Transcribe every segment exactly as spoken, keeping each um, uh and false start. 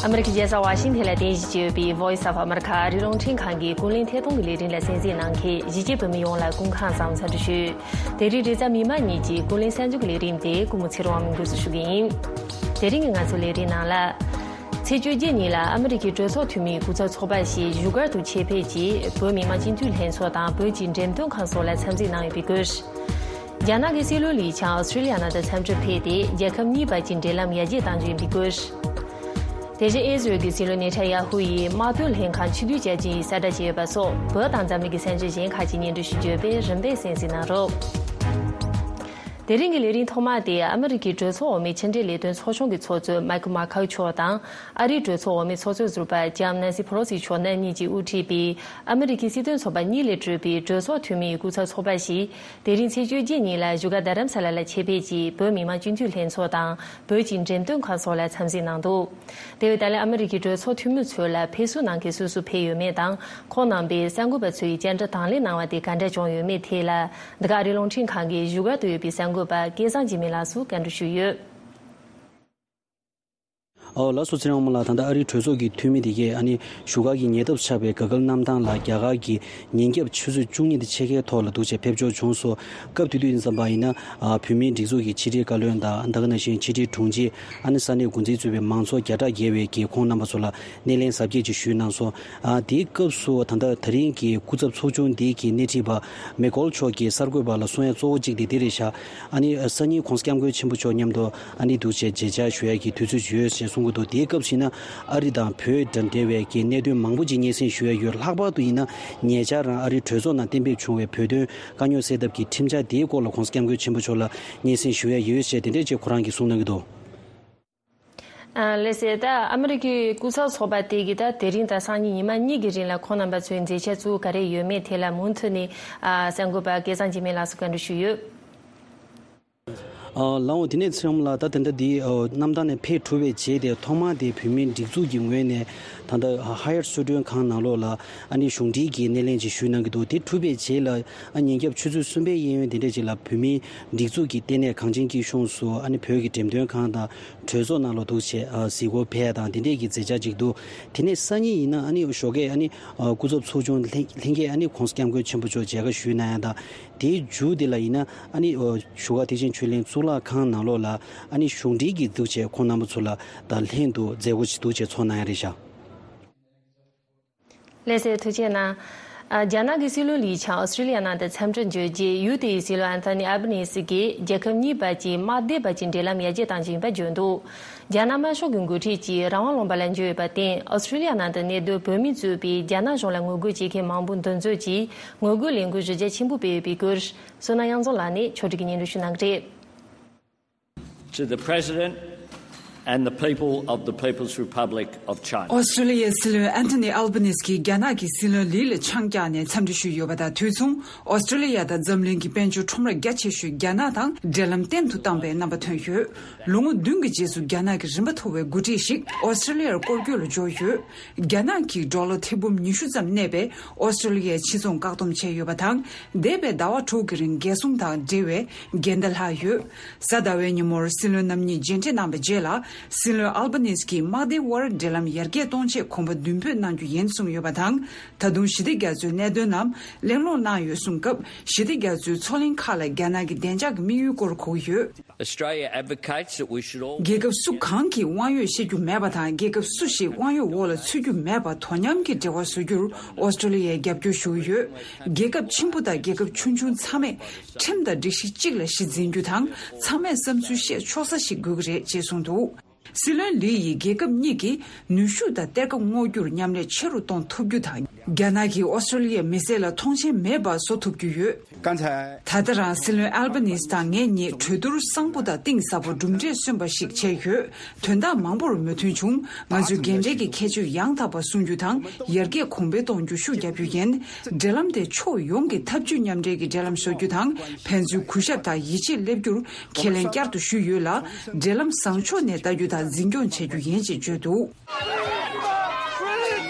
ཨ་མི་རི་ཀའི་རྒྱལ་ས་ཝ་ཤིང་ཐན་ལ་རྟེན་གཞི་བྱས་ཡོད་པའི་Voice of America ཨ་རིའི་རླུང་འཕྲིན་ཁང་གི་ཀུན་གླེང་ཐད་གཏོང་གི་ལས་རིམ་ལ་གསན་གཟིགས་གནང་མཁན་གཞིས་བྱེས་བོད་མི་ཡོངས་ལ་སྐུ་ཁམས་བཟང་འཚམས་འདྲི་ཞུ། དེ་རིང་རེས་གཟའ་མིག་དམར་ཉིན་གྱི་ཀུན་གླེང་གསར་འགྱུར་གྱི་ལས་རིམ་དེ་སྐུ་ངོ་ཚེ་རིང་དབང་མོས་འགོ་འཛུགས་ཞུ་གི་ཡིན། དེ་རིང་གི་ང་ཚོའི་ལས་རིམ་ནང་ལ། ཚེས་བཅོ་བརྒྱད་ཉིན་ལ་ཨ་མི་རི་ཀའི་གྲོས་ཚོགས་འཐུས་མིའི་སྐུ་ཚབ་ཚོགས་པ་ཞིག་བཞུགས་སྒར་དུ་ཆེད་ཕེབས་ཀྱིས་བོད་མི་མང་སྤྱི་འཐུས་ལྷན་ཚོགས་དང་བོད་ཀྱི་འགྲེམས་སྟོན་ཁང་སོགས་ལ་འཚམས་གཟིགས་གནང་ཡོད་པའི་སྐོར། རྒྱ་ནག་གི་སྲིད་བློན་ལི་ཆང་ཨོ་སི་ཀྲི་ལི་ཡ་ནང་དུ་འཚམས་འདྲིར་ཕེབས་ཏེ་རྒྱལ་ཁབ་གཉིས་བར་གྱི་འབྲེལ་ལམ་ཡར་རྒྱས་གཏང་རྒྱུ་ཡིན་པའི་སྐོར། དེ་བཞིན་ཨི་ཟི་རལ་གྱི་སྲིད་བློན་ནེ་ཐན་ཡ་ཧུ་ཡིས་དམག་དོན་ལྷན་ཁང་ཕྱིར་བསྡུ་བྱ་རྒྱུ་ཡིན་གསལ་བསྒྲགས་བྱས་ཡོད་པ་སོགས་བོད་དང་འཛམ་གླིང་གི་གསར་འགྱུར་གཞན་ཁག་ཅིག་སྙན་སྒྲོན་ཞུ་རྒྱུ་ཡོད་པས་རིམ་པས་གསན་གཟིགས་གནང་རོགས། དེ་རིང་གི་ལས་རིམ་ཐོག་མ་དེ་ཨ་མི་རི་ཀའི་གྲོས་ཚོགས་འོག་མའི་ཕྱི་འབྲེལ་ལས་དོན་ཚོགས་ཆུང་གི་ཚོགས་གཙོ་མཱིག་མཱ་ཁའུ་མཆོག་དང་ཨ་རིའི་གྲོས་ཚོགས་འོག་མའི་ཚོགས་གཙོ་ཟུར་པ་ལྕམ་ནན་སི་ཕེ་ལོ་སི་མཆོག་རྣམ་གཉིས་ཀྱིས་དབུ་ཁྲིད་པའི་ཨ་མི་རི་ཀའི་སྲིད་དོན་ཚོགས་པ་གཉིས་ལས་གྲུབ་པའི་གྲོས་ཚོགས་འཐུས་མིའི་སྐུ་ཚབ་ཚོགས་པ་ཞིག་དེ་རིང་ཚེས་བཅོ་བརྒྱད་ཉིན་ལ་བཞུགས་སྒར་རྡ་རམ་ས་ལ་ལ་ཆེད་ཕེབས་ཀྱིས་བོད་མི་མང་སྤྱི་འཐུས་ལྷན་ཚོགས་དང་བོད་ཀྱི་འགྲེམས་སྟོན་ཁང་སོགས་ལ་འཚམས་གཟིགས་གནང་འདུག་དེ་བས་ད་ལན་ཨ་མི་རི་ཀའི་གྲོས་ཚོགས་འཐུས་མི་ཚོ་ལ་ཕེབས་བསུ་གནང་མཁན་སུ་སུ་ཕེབས་ཡོད་མེད་དང་ཁོང་རྣམ་པས་གསར་འགོད་པ་ཚོའི་བཅར་འདྲི་དང་ལེན་གནང་བ་དེ་ག་འདྲ་བྱུང་ཡོད་མེད་ཐད་ལ། འདི་ག་ཨ་རིའི་རླུང་འཕྲིན་ཁང་གི་བཞུགས་སྒར་དུ་ཡོད་པའི་གསར་འགོད་པ་སྐལ་བཟང་འཇིགས་མེད་ལགས་སུ་བཀའ་འདྲི་ཞུས་ཡོད། ཨོ་ལགས་སོ། ཚེ་རིང་དབང་མོ་ལགས། ད་ལྟ་ཨ་རིའི་གྲོས་ཚོགས་ཀྱི་འཐུས་མི་དེ་གས་ཨ་ནི་བཞུགས་སྒར་གྱི་ཉེ་འདབས་ཆགས་པའི་ག་གལ་གནམ་ཐང་ལ་རྒྱ་གར་གྱི་ཉིན་རྒྱབ་ཆུ་ཚོད་བཅུ་གཉིས་དང་ཕྱེད་ཀའི་ཐོག་ལ་འདུག་བྱས་ཕེབས་འབྱོར་བྱུང་སོང་། སྐབས་དེ་དུས་ཡིན་ཙམ་པ་ཡིན་ན་ཨ་བོད་མིའི་སྒྲིག་འཛུགས་ཀྱི་ཕྱི་དྲིལ་བཀའ་བློན་དང་ད་ག་ནང་བཞིན་ཕྱི་དྲིལ་དྲུང་ཆེ་ཨ་ནི་ས་གནས་འགོ་འཛིན་གཙོས་པའི་མང་ཚོགས་བརྒྱ་ཕྲག་བརྒལ་བས་ཀྱིས་ཁོང་རྣམ་པ་ཚོ་ལ་སྣེ་ལེན་གཟབ་རྒྱས་ཅིག་ཞུས་གནང་སོང་། ཨ་དེའི་སྐབས་སུ་ད་ལྟ་ད་རིང་གི་སྐུ་ཚབ་ཚོགས་ཆུང་འདི་གི་སྣེ་ཁྲིད་པ་མེ་ཀོལ་མཆོག་གིས་གསར་འགོད་པ་ལ་གསུང་ཡ་གཙོ་བོ་གཅིག་དེ་འདི་རེད་ཤག་ཨ་ནི་སང་ཉིན་༸གོང་ས་༸སྐྱབས་མགོན་ཆེན་པོ་མཆོག་མཉམ་དུ་ཨ་ནི་འདུག་བྱས་མཇལ་བཅར་ཞུ་ཡ་གི་དུས་ཚོད་ཅིག་ཡོད་ཅེས་གསུང་གི་འདུག་དེའི་སྐབས་སུ་ཡིན་ན་ཨ་རི་དང་བོད་དང་འབྲེལ་བའི་གི་གནད་དོན་མང་པོ་ཅིག་སྙན་སེང་ཞུ་ཡ་ཡོད། ལྷག་པར་དུ་ཡིན་ན་ཉེ་ཆར་རང་ཨ་རིའི་གྲོས་ཚོགས་ནང་གཏན་འབེབས་བྱུང་བའི་བོད་དོན་དཀའ་རྙོག་སེལ་ཐབས་ཀྱི་ཁྲིམས་འཆར་དེའི་སྐོར་ལ་༸གོང་ས་༸སྐྱབས་མགོན་ཆེན་པོ་མཆོག་ལ་སྙན་སེང་ཞུ་ཡ་ཡོད་ཅེས་དེ་འདྲས་ཅིག་ཁོ་རང་གིས་གསུངས་གནང་གི་འདུག་ཨ་ལགས་སོ། ད་ཨ་མི་རི་ཀའི་སྐུ་ཚབ་ཚོགས་པ་དེ་གིས་ད་དེ་རིང་དང་སང་ཉིན་ཉི་མ་གཉིས་ཀྱི་རིང་ལ་ཁོང་རྣམ་པ་ཚོའི་མཛད་འཆར་ཚུ་ག་རེ་ཡོད་མེད་ཐད་ལ་མུ་མཐུད་ནས་ཨ་གསར་འགོད་པ་སྐལ་བཟང་འཇིགས་མེད་ལགས་སུ་བཀའ་འདྲི་ཞུས་ཡོད། ཨ་ལགས་འོང་། དེ་ནས་ཚེ་རིང་ལགས། ད་དེ་འདྲ་འདི་ཨ་གནམ་ཐང་ནས་ཕེབས་གྲུབ་པའི་རྗེས་དེ་ཐོག་མར་དེ་བོད་མིའི་སྒྲིག་འཛུགས་ཀྱི་ངོས་ནས་ད་ལྟ་ཧ་ཡར་གསོལ་མགྲོན་ཁང་ནང་ལོགས་ལ་ཨ་ནི་གཞུང་འབྲེལ་གྱི་སྣེ་ལེན་ཅིག་ཞུས་གནང་གི་འདུག་དེ་གྲུབ་པའི་རྗེས་ལ་ཨ་ཉིན་རྒྱབ་ཆུ་ཚོད་གསུམ་པའི་གཡས་གཡོན་དེ་འདྲ་ཅིག་ལ་བོད་མིའི་སྒྲིག་འཛུགས་ཀྱི་ལྟེ་གནས་གངས་ཅན་སྐྱིད་གཤོངས་སུ་ཨ་ནི་བོད་ཀྱི་འགྲེམས་སྟོན་ཁང་དང་གྲོས་ཚོགས་ནང་ལ་འདུག་བྱས་ཨ་གཟིགས་སྐོར་ཕེབས་དང་དེ་འདྲས་ཀྱི་མཛད་འཆར་ཅིག་འདུག་དེ་ནས་སང་ཉིན་ཡིན་ན་ཨ་ནི་ཞོགས་ཀས་ཨ་ནི་ཨ་སྐུ་ཚབ་ཚོགས་ཆུང་ལྷན་ལྷན་རྒྱས་ཨ་ནི་༸གོང་ས་༸སྐྱབས་མགོན་ཆེན་པོ་མཆོག་མཇལ་ཁ་ཞུས་གནང་ཡ་དང་། དེའི་མཇུག་དེ་ལ་ཡིན་ན་ཨ་ནི་ཨོ་བཞུགས་སྒར་ཐེག་ཆེན་ཆོས་གླིང་གཙུག་ལག་ཁང་ནང་ལོགས་ལ་ཨ་ནི་གཞུང་འབྲེལ་གྱི་འདུག་བྱས་ཁོང་རྣམ་པ་ཚོ་ལ་ད་ལྷན་དུ་མཛད་སྒོ་ཞིག་འདུག་བྱས་ཚོགས་གནང་ཡ་རེད་ཤག་ལགས་སོ། ཐུགས་རྗེ་གནང་། ཨ་རྒྱ་ནག་གི་སྲིད་བློན་ལི་ཆང་ཨོ་སི་ཀྲི་ལི་ཡ་ནང་དུ་འཚམས་འདྲིར་འབྱོར་རྗེས་ཡུལ་དེའི་སྲིད་བློན་ཨན་ཐོ་ནི་ཨལ་བྷ་ནི་སི་གིས་རྒྱལ་ཁབ་གཉིས་བར་གྱི་དམག་སྡེ་བར་གྱི་འབྲེལ་ལམ་ཡར་རྒྱས་གཏང་རྒྱུ་ཡིན་པ་བརྗོད་འདུག་རྒྱ་ནག་དམར་ཤོག་གི་འགོ་ཁྲིད་ཀྱིས་རང་དབང་ལུང་པ་ལ་འབྱོར་ཡོད་པར་བརྟེན་ཨོ་སི་ཀྲི་ལི་ཡ་ནང་དུ་གནས་སྡོད་བོད་མི་གཙོས་པའི་རྒྱ་ནག་གཞུང་ལ་ངོ་རྒོལ་བྱེད་མཁན་མང་པོ་འདུ་འཛོམས་ཀྱིས་ངོ་རྒོལ་ལས་འགུལ་གཞི་རྒྱ་ཆེན་པོ་སྤེལ་ཡོད་པའི་སྐོར་བསོད་ནམས་དབྱངས་འཛོམས་ལགས་ནས་ཕྱོགས་སྒྲིག་གིས་སྙན་སྒྲོན་ཞུ་གནང་གི་རེད། To the President and the people of the People's Republic of China. ཨོ་སི་ཀྲི་ལི་ཡའི་སྲིད་བློན་ཨན་ཐོ་ནི་ཨལ་བྷ་ནི་སི་གིས་རྒྱ་ནག་གི་སྲིད་བློན་ལི་ལ་ཆང་བཀྱགས་ནས་འཚམས་འདྲི་ཞུས་ཡོད་པ་དང་དུས་མཚུངས། ཨོ་སི་ཀྲི་ལི་ཡ་དང་འཛམ་གླིང་གི་དཔལ་འབྱོར་ཁྲོམ་ར་རྒྱ་ཆེ་ཤོས་རྒྱ་ནག་དང་འབྲེལ་ལམ་བརྟན་དུ་བཏང་པའི་རྣམ་པ་ཐོན་ཡོད། ལོ་ངོ་བདུན་གྱི་རྗེས་སུ་རྒྱ་ནག་གི་རིམ་པ་མཐོ་བའི་འགོ་ཁྲིད་ཞིག་ཨོ་སི་ཀྲི་ལི་ཡར་སྐོར་སྐྱོད་ལ་འབྱོར་ཡོད། རྒྱ་ནག་གིས་ཌོ་ལར་ཐེར་འབུམ་ཉི་ཤུ་ཙམ་གནས་པའི་ཨོ་སི་ཀྲི་ལི་ཡའི་ཕྱི་ཚོང་བཀག་སྡོམ་བྱས་ཡོད་པ་དང་། འདས་པའི་ཟླ་བ་དྲུག་གི་རིང་རྒྱལ་སྲུང་དང་འབྲེལ་བའི་འགལ་ཟླ་ལྷག་ཡོད། གཟའ་ཟླ་བའི་ཉིན་མོར་སྲིད་བློན་རྣམ་གཉིས་མཇལ་འཕྲད་གནང་བའི་རྗེས་ལ། སྲིད་བློན་ཨལ་བྷ་ནིས་ཀྱིས་དམག་སྡེའི་དབར་འབྲེལ་ལམ་ཡར་རྒྱས་གཏོང་ཆེད་གོམ་པ་མདུན་སྤོས་གནང་རྒྱུ་ཡིན་གསུངས་ཡོད་པ་དང་། ད་དུང་ཞི་བདེ་རྒྱ་མཚོའི་གནད་དོན་རྣམས་གླེང་སློང་གནང་ཡོད་གསུངས་སྐབས། ཞི་བདེ་རྒྱ་མཚོའི་མཚོ་གླིང་ཁག་ལ་རྒྱ་ནག་གི་བདེ་འཇགས་ཀྱི་དམིགས་ཡུལ་སྐོར་གོ་གི་ཡོད། Australia advocates that we should all རྒྱལ་ཁབ་སུ་གང་གིས་དབང་ཡོད་བཤད་རྒྱུ་མེད་པ་དང་། རྒྱལ་ཁབ་སུ་ཞིག་དབང་ཡོད་འོག་ལ་ཚུད་རྒྱུ་མེད་པར་དོ་མཉམ་གྱི་འབྲེལ་བ་བཟོ་རྒྱུར་ཨོ་སི་ཀྲི་ལི་ཡས་རྒྱབ་སྐྱོར་ཞུ་གི་ཡོད། རྒྱལ་ཁབ་ཆེན་པོ་དང་རྒྱལ་ཁབ་ཆུང་ཆུང་ཚང་མས་ཁྲིམས་དང་སྒྲིག་གཞི་གཅིག་ལ་གཞི་འཛིན་རྒྱུ་དང་། ཚང་མས་བསམ་ཚུལ་བཤད་ཆོག་ས་ཞིག་དགོས་ཀྱི་རེད་ཅེས་གསུངས་འདུག་སྲིད་བློན་ལི་ཡིས་རྒྱལ་ཁབ་གཉིས་ཀྱིས་ནུས་ཤུགས་དང་གཏེར་ཁ་སྔོག་རྒྱུར་མཉམ་ལས་ཆེ་རུ་གཏོང་ཐུབ་རྒྱུ་དང་། རྒྱ་ནག་གིས་ཨོ་སི་ཀྲི་ལི་ཡའི་མི་སེར་ལ་མཐོང་ཆེན་མེད་པ་བཟོ་ཐུབ་རྒྱུ་ཡོད། ད་ལྟ་རང་སྲིད་བློན་ཨལ་བྷ་ནིས་དང་ངེད་གཉིས་གྲོས་བསྡུར་གསང་པོ་དང་གཏིང་ཟབ་པོ་གྲུབ་འབྲས་སོན་པ་ཞིག་བྱས་ཡོད། དོན་དག་མང་པོར་མོས་མཐུན་བྱུང་། ང་ཚོས་འགན་འཁྲི་གི་ཁྱད་ཆོས་ཡང་དག་པ་སྲུང་རྒྱུ་དང་ཡར་རྒྱས་གོང་འཕེལ་གཏོང་རྒྱུར་ཤུགས་རྒྱབ་རྒྱུ་ཡིན། འབྲེལ་ལམ་དེ་ཕྱོགས་ཡོངས་ཀྱི་འཐབ་ཇུས་མཉམ་འབྲེལ་གྱི་འབྲེལ་ལམ་བཟོ་རྒྱུ་དང་ཕན་ཚུན་གུས་ཞབས་དང་ཡིད་ཆེས་སླེབས་རྒྱུར་ཁས་ལེན་བསྐྱར་དུ་ཞུས་ཡོད་ལ། འབྲེལ་ལམ་བཟང་ཕྱོགས་ནས་ལྟ་རྒྱུ་དང་འཛིན་སྐྱོང་བྱེད་རྒྱུ་ཡིན་ཞེས་བརྗོད་འདུག་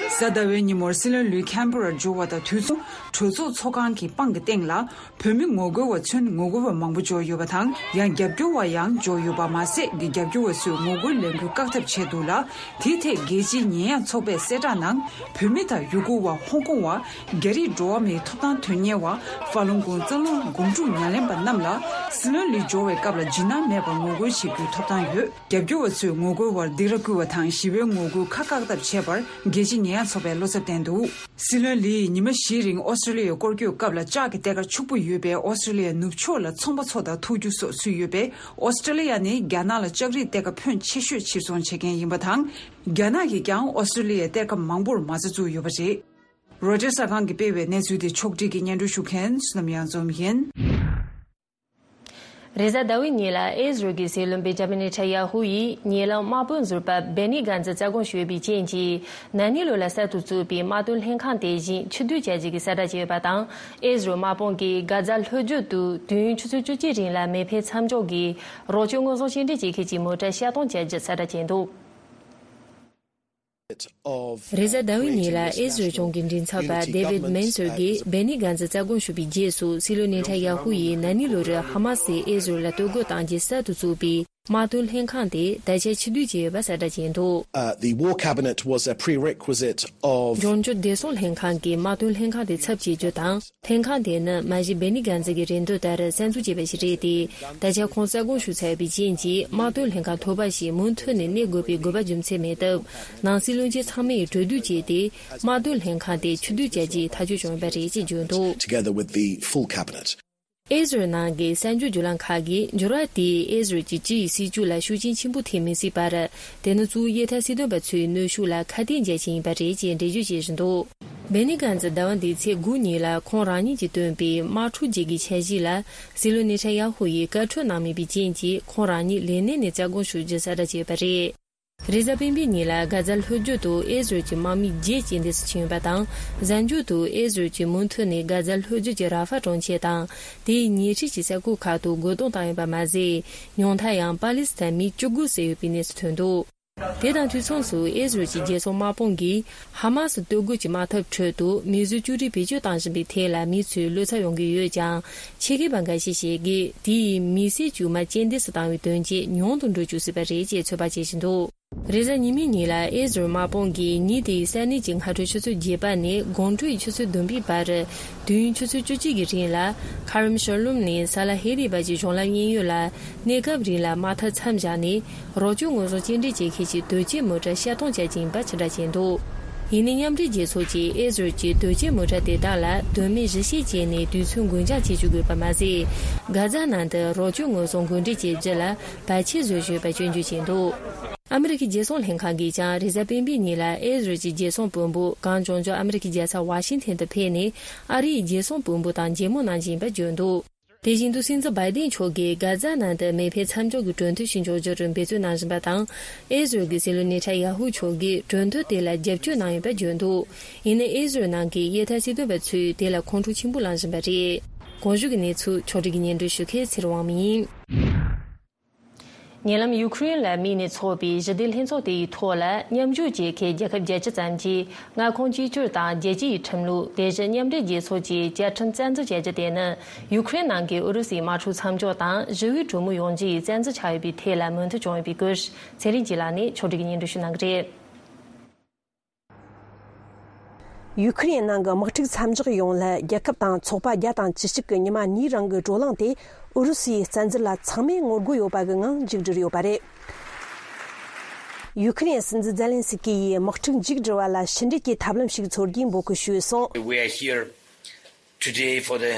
གཟའ་ཟླ་བའི་ཉིན་མོར་སྲིད་བློན་ལུས་ཁེམ་པ་རར་འབྱོར་བ་དང་དུས་མཚུངས་གྲོས་ཚོགས་ཚོགས་ཁང་གི་པང་གི་སྟེང་ལ། བོད་མི་ངོ་རྒོལ་བ་ཚོས་ངོ་རྒོལ་བ་མང་པོ་འབྱོར་ཡོད་པ་དང་། ཡང་རྒྱབ་སྐྱོར་བ་ཡང་འབྱོར་ཡོད་པ་མ་ཟད། གི་རྒྱབ་སྐྱོར་བ་ཚོས་ངོ་རྒོལ་ལས་འགུལ་བཀག་ཐབས་བྱས་འདུག་ལ། དེའི་ཐད་རྒྱལ་སྤྱིའི་ཉེས་ཡངས་ཚོགས་པས་གསལ་བསྒྲགས་ནང་། བོད་མི་དང་ཡུ་གུར་བ། ཧོང་ཀོང་བ། རྒྱ་རིགས་འགྲོ་བ་མིའི་ཐོབ་ཐང་དོན་གཉེར་བ། ཧྥ་ལུན་གོང་རྩ་རླུང་སྒོམ་སྒྲུབ་ཉམས་ལེན་པ་རྣམས་ལ། སྲིད་བློན་ལུས་འབྱོར་བའི་སྐབས་ལ་འཇིགས་སྣང་མེད་པར་ངོ་རྒོལ་བྱེད་རྒྱུའི་ཐོབ་ཐང་ཡོད། རྒྱབ་སྐྱོར་བ་ཚོས་ངོ་རྒོལ་བར་སྡིགས་ར་བསྐུལ་བ་དང་། ཞི་བའི་ངོ་རྒོལ་ཁག་བཀག་ཐབས་བྱས་པར་རྒྱལ་སྤྱིའི་ཉེས་ཡངས་ཚོགས་པས་བློ་འཚབ་བསྟན་འདུག་སྲིད་བློན་ལིས་ཉི་མ་བཞིའི་རིང་ཨོ་སི་ཀྲི་ལི་ཡའི་སྐོར་སྐྱོད་སྐབས་ལ། ལྕགས་ཀྱི་གཏེར་ཁ་ཕྱུག་པོ་ཡོད་པས། ཨོ་སི་ཀྲི་ལི་ཡ་ནུབ་ཕྱོགས་ལ་ཚོང་པ་ཚོ་དང་ཐུག་རྒྱུ་སོགས་ཚུད་ཡོད་པས། ཨོ་སི་ཀྲི་ལི་ཡ་ནི་རྒྱ་ནག་ལ་ལྕགས་རིགས་གཏེར་ཁ་ཕོན་ཆེ་ཤོས་ཕྱིར་ཚོང་བྱེད་མཁན་ཡིན་པ་དང་། རྒྱ་ནག་གིས་ཀྱང་ཨོ་སི་ཀྲི་ལི་ཡའི་གཏེར་ཁ་མང་པོར་མ་རྩ་བཙུགས་ཡོད་པ་རེད། རོའི་ཊར་གསར་ཁང་གིས་སྤེལ་བའི་གནས་ཚུལ་དེ་ཕྱོགས་སྒྲིག་གིས་སྙན་སྒྲོན་ཞུ་མཁན་བསོད་ནམས་གཡང་འཛོམས་ཡིན། རེས་གཟའ་ཟླ་བའི་ཉིན་ལ་ཨེ་ཟི་རལ་གྱི་སྲིད་བློན་བེན་ཇ་མིན་ནེ་ཐན་ཡ་ཧུ་ཡིས་ཉེ་ལམ་དམག་དཔོན་ཟུར་པ་བེ་ནི་གཱན་ཛི་རྩ་དགོངས་ཞུས་པའི་རྐྱེན་གྱིས། ན་ནིང་ལོ་ལ་གསར་དུ་བཙུགས་པའི་དམག་དོན་ལྷན་ཁང་དེ་བཞིན་ཕྱིར་བསྡུ་བྱ་རྒྱུ་གི་གསལ་བསྒྲགས་བྱས་ཡོད་པ་དང་། ཨེ་ཟི་རལ་དམག་དཔུང་གིས་གྷ་ཛ་ལྷོ་རྒྱུད་དུ་དུས་ཡུན་ཆུ་ཚོད་བཅུ་གཅིག་རིང་ལ་མེ་འཕེན་མཚམས་འཇོག་གིས་རོགས་སྐྱོར་དངོས་ཟོག་སྐྱེལ་འདྲེན་བྱེད་མཁན་གྱི་མོ་ཊ་ཤར་གཏོང་བྱ་རྒྱུ་གསལ་བསྒྲགས་བྱས་འདུག་རེས་གཟའ་ཟླ་བའི་ཉིན་ལ་ཨེ་ཟི་རལ་གཞུང་གི་མགྲིན་ཚབ་པ་David Mencer གྱིས་བེ་ནི་གཱན་ཛི་རྩ་དགོངས་ཞུས་པའི་རྗེས་སུ། སྲིད་བློན་ནེ་ཐན་ཡ་ཧུ་ཡིས་ན་ནིང་ལོ་རུ་ཧ་མ་སིས་ཨེ་ཟི་རལ་ལ་གཏོར་རྒོལ་བཏང་རྗེས་གསར་དུ་བཙུགས་པའི་དམག་དོན་ལྷན་ཁང་དེ་ད་ཆ་ཕྱིར་བསྡུ་བྱས་ཡོད་པ་གསལ་བསྒྲགས་བྱས་འདུག Uh, the war cabinet was a prerequisite of འབྱུང་འགྱུར་བདེ་སྲུང་ལྷན་ཁང་གི་དམག་དོན་ལྷན་ཁང་དེ་ཚབ་བྱེད་རྒྱུ་དང་། ལྷན་ཁང་དེ་ནི་མ་གཞི་བེ་ནི་གཱན་ཛི་གི་རེ་འདུན་ལྟར་གསར་འཛུགས་བྱས་པ་ཞིག་རེད་དེ། ད་ཆ་ཁོང་རྩ་དགོངས་ཞུས་ཚར་བའི་རྐྱེན་གྱིས། དམག་དོན་ལྷན་ཁང་ཐོག་པ་ཞིག་མུ་མཐུད་ནས་གནས་དགོས་པའི་དགོས་པ་རྒྱུ་མཚན་མེད་སྟབས། ནང་སྲིད་བློན་ཆེན་ཚང་མས་གྲོས་བསྡུར་བྱས་ཏེ། དམག་དོན་ལྷན་ཁང་དེ་ཕྱིར་བསྡུ་བྱ་རྒྱུའི་ཐག་གཅོད་བྱུང་ཡོད་པ་རེད་ཅེས་བརྗོད་འདུག Together with the full cabinet. ཨེ་ཟི་རལ་ནང་གི་གསར་འགྱུར་བརྒྱུད་ལམ་ཁག་གིས་འགྱུར་བ་དེས་ཨེ་ཟི་རལ་གྱི་སྤྱི་ཡི་སྲིད་བྱུས་ལ་ཤུགས་རྐྱེན་ཆེན་པོ་ཐེབས་མི་སྲིད་པར། དེ་ནི་གཙོ་བོ་གཡས་འཐབ་སྲིད་དོན་པ་ཚོའི་གནོན་ཤུགས་ལ་ཁ་གཏད་འཇལ་ཆེད་ཡིན་པ་རེད་ཅེས་འགྲེལ་བརྗོད་བྱེད་བཞིན་འདུག་བེ་ནི་གཱན་ཛི་ཟླ་བ་འདིའི་ཚེས་དགུ་ཉིན་ལ་ཁོང་རང་ཉིད་ཀྱིས་བཏོན་པའི་དམག་འཁྲུག་རྗེས་ཀྱི་འཆར་གཞི་ལ། སྲིད་བློན་ནེ་ཐན་ཡ་ཧུ་ཡིས་བཀའ་འཁྲོལ་གནང་མེད་པའི་རྐྱེན་གྱིས། ཁོང་རང་ཉིད་ལས་གནས་ནས་རྩ་དགོངས་ཞུ་རྒྱུ་གསལ་བསྒྲགས་བྱས་ཡོད་པ་རེད། རེས་གཟའ་སྤེན་པའི་ཉིན་ལ་གྷ་ཛ་ལྷོ་རྒྱུད་དུ་ཨེ་ཟི་རལ་གྱི་དམག་མི་བརྒྱད་རྐྱེན་འདས་སུ་ཕྱིན་ཡོད་པ་དང་། གཟའ་མཇུག་ཏུ་ཨེ་ཟི་རལ་གྱིས་མུ་མཐུད་ནས་གྷ་ཛ་ལྷོ་རྒྱུད་ཀྱི་ར་ཧྥ་གྲོང་ཁྱེར་དང་། དེའི་ཉེ་འཁྲིས་ཀྱི་ས་ཁུལ་ཁག་ཏུ་རྒོལ་རྡུང་བཏང་ཡོད་པ་མ་ཟད། ཉུང་མཐར་ཡང་པ་ལི་སི་ཐན་མི་བཅུ་དགུ་བསད་ཡོད་པའི་གནས་ཚུལ་ཐོན་འདུག་དེ་དང་དུས་མཚུངས་སུ། ཨེ་ཟི་རལ་གྱི་རྒྱལ་སྲུང་དམག་དཔུང་གིས་ཧ་མ་སི་གཏོར་རྒོལ་གྱི་དམག་འཐབ་ཁྲོད་དུ་མི་གསོད་བཅོས་སྒྲིག་བེད་སྤྱོད་བཏང་བཞིན་པའི་ཐད་ལ་མི་ཚོས་བློ་འཚབ་ཡོང་གི་ཡོད་ཀྱང་། ཆེད་མཁས་པ་འགའ་ཞིག་བཤད་ཀྱིས། དེ་ཡིས་མི་སེར་དཀྱུས་མ་རྐྱེན་འདས་སུ་བཏང་བའི་དོན་རྐྱེན་ཉུང་དུ་འགྲོ་བཅུག་སྲིད་པ་རེད་ཅེས་ཚོད་དཔག་བྱེད་བཞིན་འདུག་རེས་གཟའ་ཉི་མའི་ཉིན་ལ་ཨེ་ཟི་རལ་དམག་དཔུང་གིས་ཉིན་དེའི་ས་གནས་ཀྱི་སྔ་དྲོའི་ཆུ་ཚོད་བརྒྱད་པ་ནས་དགོང་དྲོའི་ཆུ་ཚོད་བདུན་པའི་བར། དུས་ཡུན་ཆུ་ཚོད་བཅུ་གཅིག་གི་རིང་ལ། ཁ་རམ་ཤར་ལུམ་ནས་ས་ལ་ཧེ་རི་བར་གྱི་གཞུང་ལམ་གཡས་གཡོན་ལ། གནས་སྐབས་རིང་ལ་དམག་འཐབ་མཚམས་བཞག་ནས། རོགས་སྐྱོར་དངོས་ཟོག་སྐྱེལ་འདྲེན་བྱེད་མཁན་གྱི་དོས་ཅན་མོ་ཊ་ཤར་གཏོང་བྱ་རྒྱུ་ཡིན་པ་ཕྱིར་བསྒྲགས་བྱས་འདུག་ཡིན་ནའི་མཉམ་འབྲེལ་རྒྱལ་ཚོགས་ཀྱིས་ཨེ་ཟི་རལ་གྱི་དོས་ཅན་མོ་ཊ་དེ་དག་ལ་དོན་མེད་གཞི་བྱས་བྱས་ནས་དུས་ཚོད་འགོར་འགྱངས་བྱེད་བཅུག་དགོས་པ་མ་ཟད། གྷ་ཛ་ནང་དུ་རོགས་སྐྱོར་དངོས་ཟོག་འགོ་འདྲེན་བྱེད་རྒྱུ་ལ་བར་ཆད་བཟོས་ཡོད་པ་སྐྱོན་བརྗོད་བྱས་འདུག་ཨ་མི་རི་ཀའི་རྒྱལ་སྲུང་ལྷན་ཁང་གིས་ཀྱང་རེས་གཟའ་སྤེན་པའི་ཉིན་ལ་ཨེ་ཟི་རལ་གྱི་རྒྱལ་སྲུང་དཔོན་པོ་གངས་ལྗོངས་ལྗོངས་ཨ་མི་རི་ཀའི་རྒྱལ་ས་ཝ་ཤིང་ཐན་དུ་ཕེབས་ནས། ཨ་རིའི་རྒྱལ་སྲུང་དཔོན་པོ་དང་མཇལ་མོལ་གནང་བཞིན་པ་བརྗོད་འདུག་དེ་བཞིན་དུ་སྲིད་འཛིན་བྷའི་ཌེན་མཆོག་གིས་གྷ་ཛ་ནང་དུ་མེ་འཕེན་མཚམས་འཇོག་གི་གྲོས་མཐུན་ཞིག་འཇོག་རྒྱུར་འབད་བརྩོན་གནང་བཞིན་པ་དང་། ཨེ་ཟི་རལ་གྱི་སྲིད་བློན་ནེ་ཐན་ཡ་ཧུ་མཆོག་གིས་གྲོས་མཐུན་དེ་ལ་རྒྱབ་སྐྱོར་གནང་ཡོད་པ་བརྗོད་འདུག་ཡིན་ནའི་ཨེ་ཟི་རལ་ནང་གི་གཡས་འཐབ་སྲིད་དོན་པ་ཚོས་དེ་ལ་ཁོང་ཁྲོ་ཆེན་པོ་ལངས་བཞིན་པ་རེད། གོང་ཞུས་ཀྱི་གནས་ཚུལ་ཕྱོགས་སྒྲིག་གིས་སྙན་སྒྲོན་ཞུ་མཁན་ཚེ་རིང་དབང་མོ་ཡིན། ཉེ་ལམ་ཡུ་ཁུ་རེན་ལ་དམིགས་ནས་འཚོགས་པའི་ཞི་བདེ་ལྷན་ཚོགས་དེ་ཡི་ཐོག་ལ་མཉམ་ཞུགས་བྱེད་མཁན་རྒྱལ་ཁབ་བརྒྱད་ཅུ་ཙམ་གྱིས་མངའ་ཁོངས་གཅིག་གྱུར་དང་རྒྱལ་སྤྱི་ཡི་ཁྲིམས་ལུགས། དེ་བཞིན་མཉམ་འབྲེལ་རྒྱལ་ཚོགས་ཀྱི་བཅའ་ཁྲིམས་རྩ་འཛུགས་བྱ་རྒྱུ་དེ་ནི་ཡུ་ཁུ་རེན་ནང་གི་ཨུ་རུ་སུའི་དམག་འཁྲུག་མཚམས་འཇོག་དང་ཞི་བའི་གྲོས་མོལ་ཡོང་རྒྱུ་ཡི་རྩ་འཛིན་ཆགས་ཡོད་པའི་ཐད་ལ་མོས་མཐུན་བྱུང་ཡོད་པའི་སྐོར། ཚེ་རིང་སྐྱིད་ལགས་ནས་ཕྱོགས་སྒྲིག་གིས་སྙན་སྒྲོན་ཞུ་གནང་གི་རེད། ཡུ་ཁུ་རེན་ནང་གི་དམག་འཁྲུག་མཚམས་འཇོག་ཡོང་སླད་རྒྱལ་ཁབ་དང་ཚོགས་པ་བརྒྱ་དང་བཅུ་གཅིག་གི་ཉི་མ་གཉིས་རིང་གི་བགྲོ་གླེང་དེ་ཨུ་རུ་སུའི་བཙན་འཛུལ་ལ་ཚང་མས་ངོ་རྒོལ་ཡོད་པ་གི་ངང་མཇུག་བསྒྲིལ་ཡོད་པ་རེད། ཡུ་ཁུ་རེན་སྲིད་འཛིན་ཛེ་ལན་སི་ཀི་ཡིས་དམག་འཁྲུག་མཇུག་སྒྲིལ་བ་ལ་ཕྱི་འབྲེལ་གྱི་ཐབས་ལམ་ཞིག་འཚོལ་རྒྱུའི་འབོད་སྐུལ་ཞུས་སོང་། We are here today for the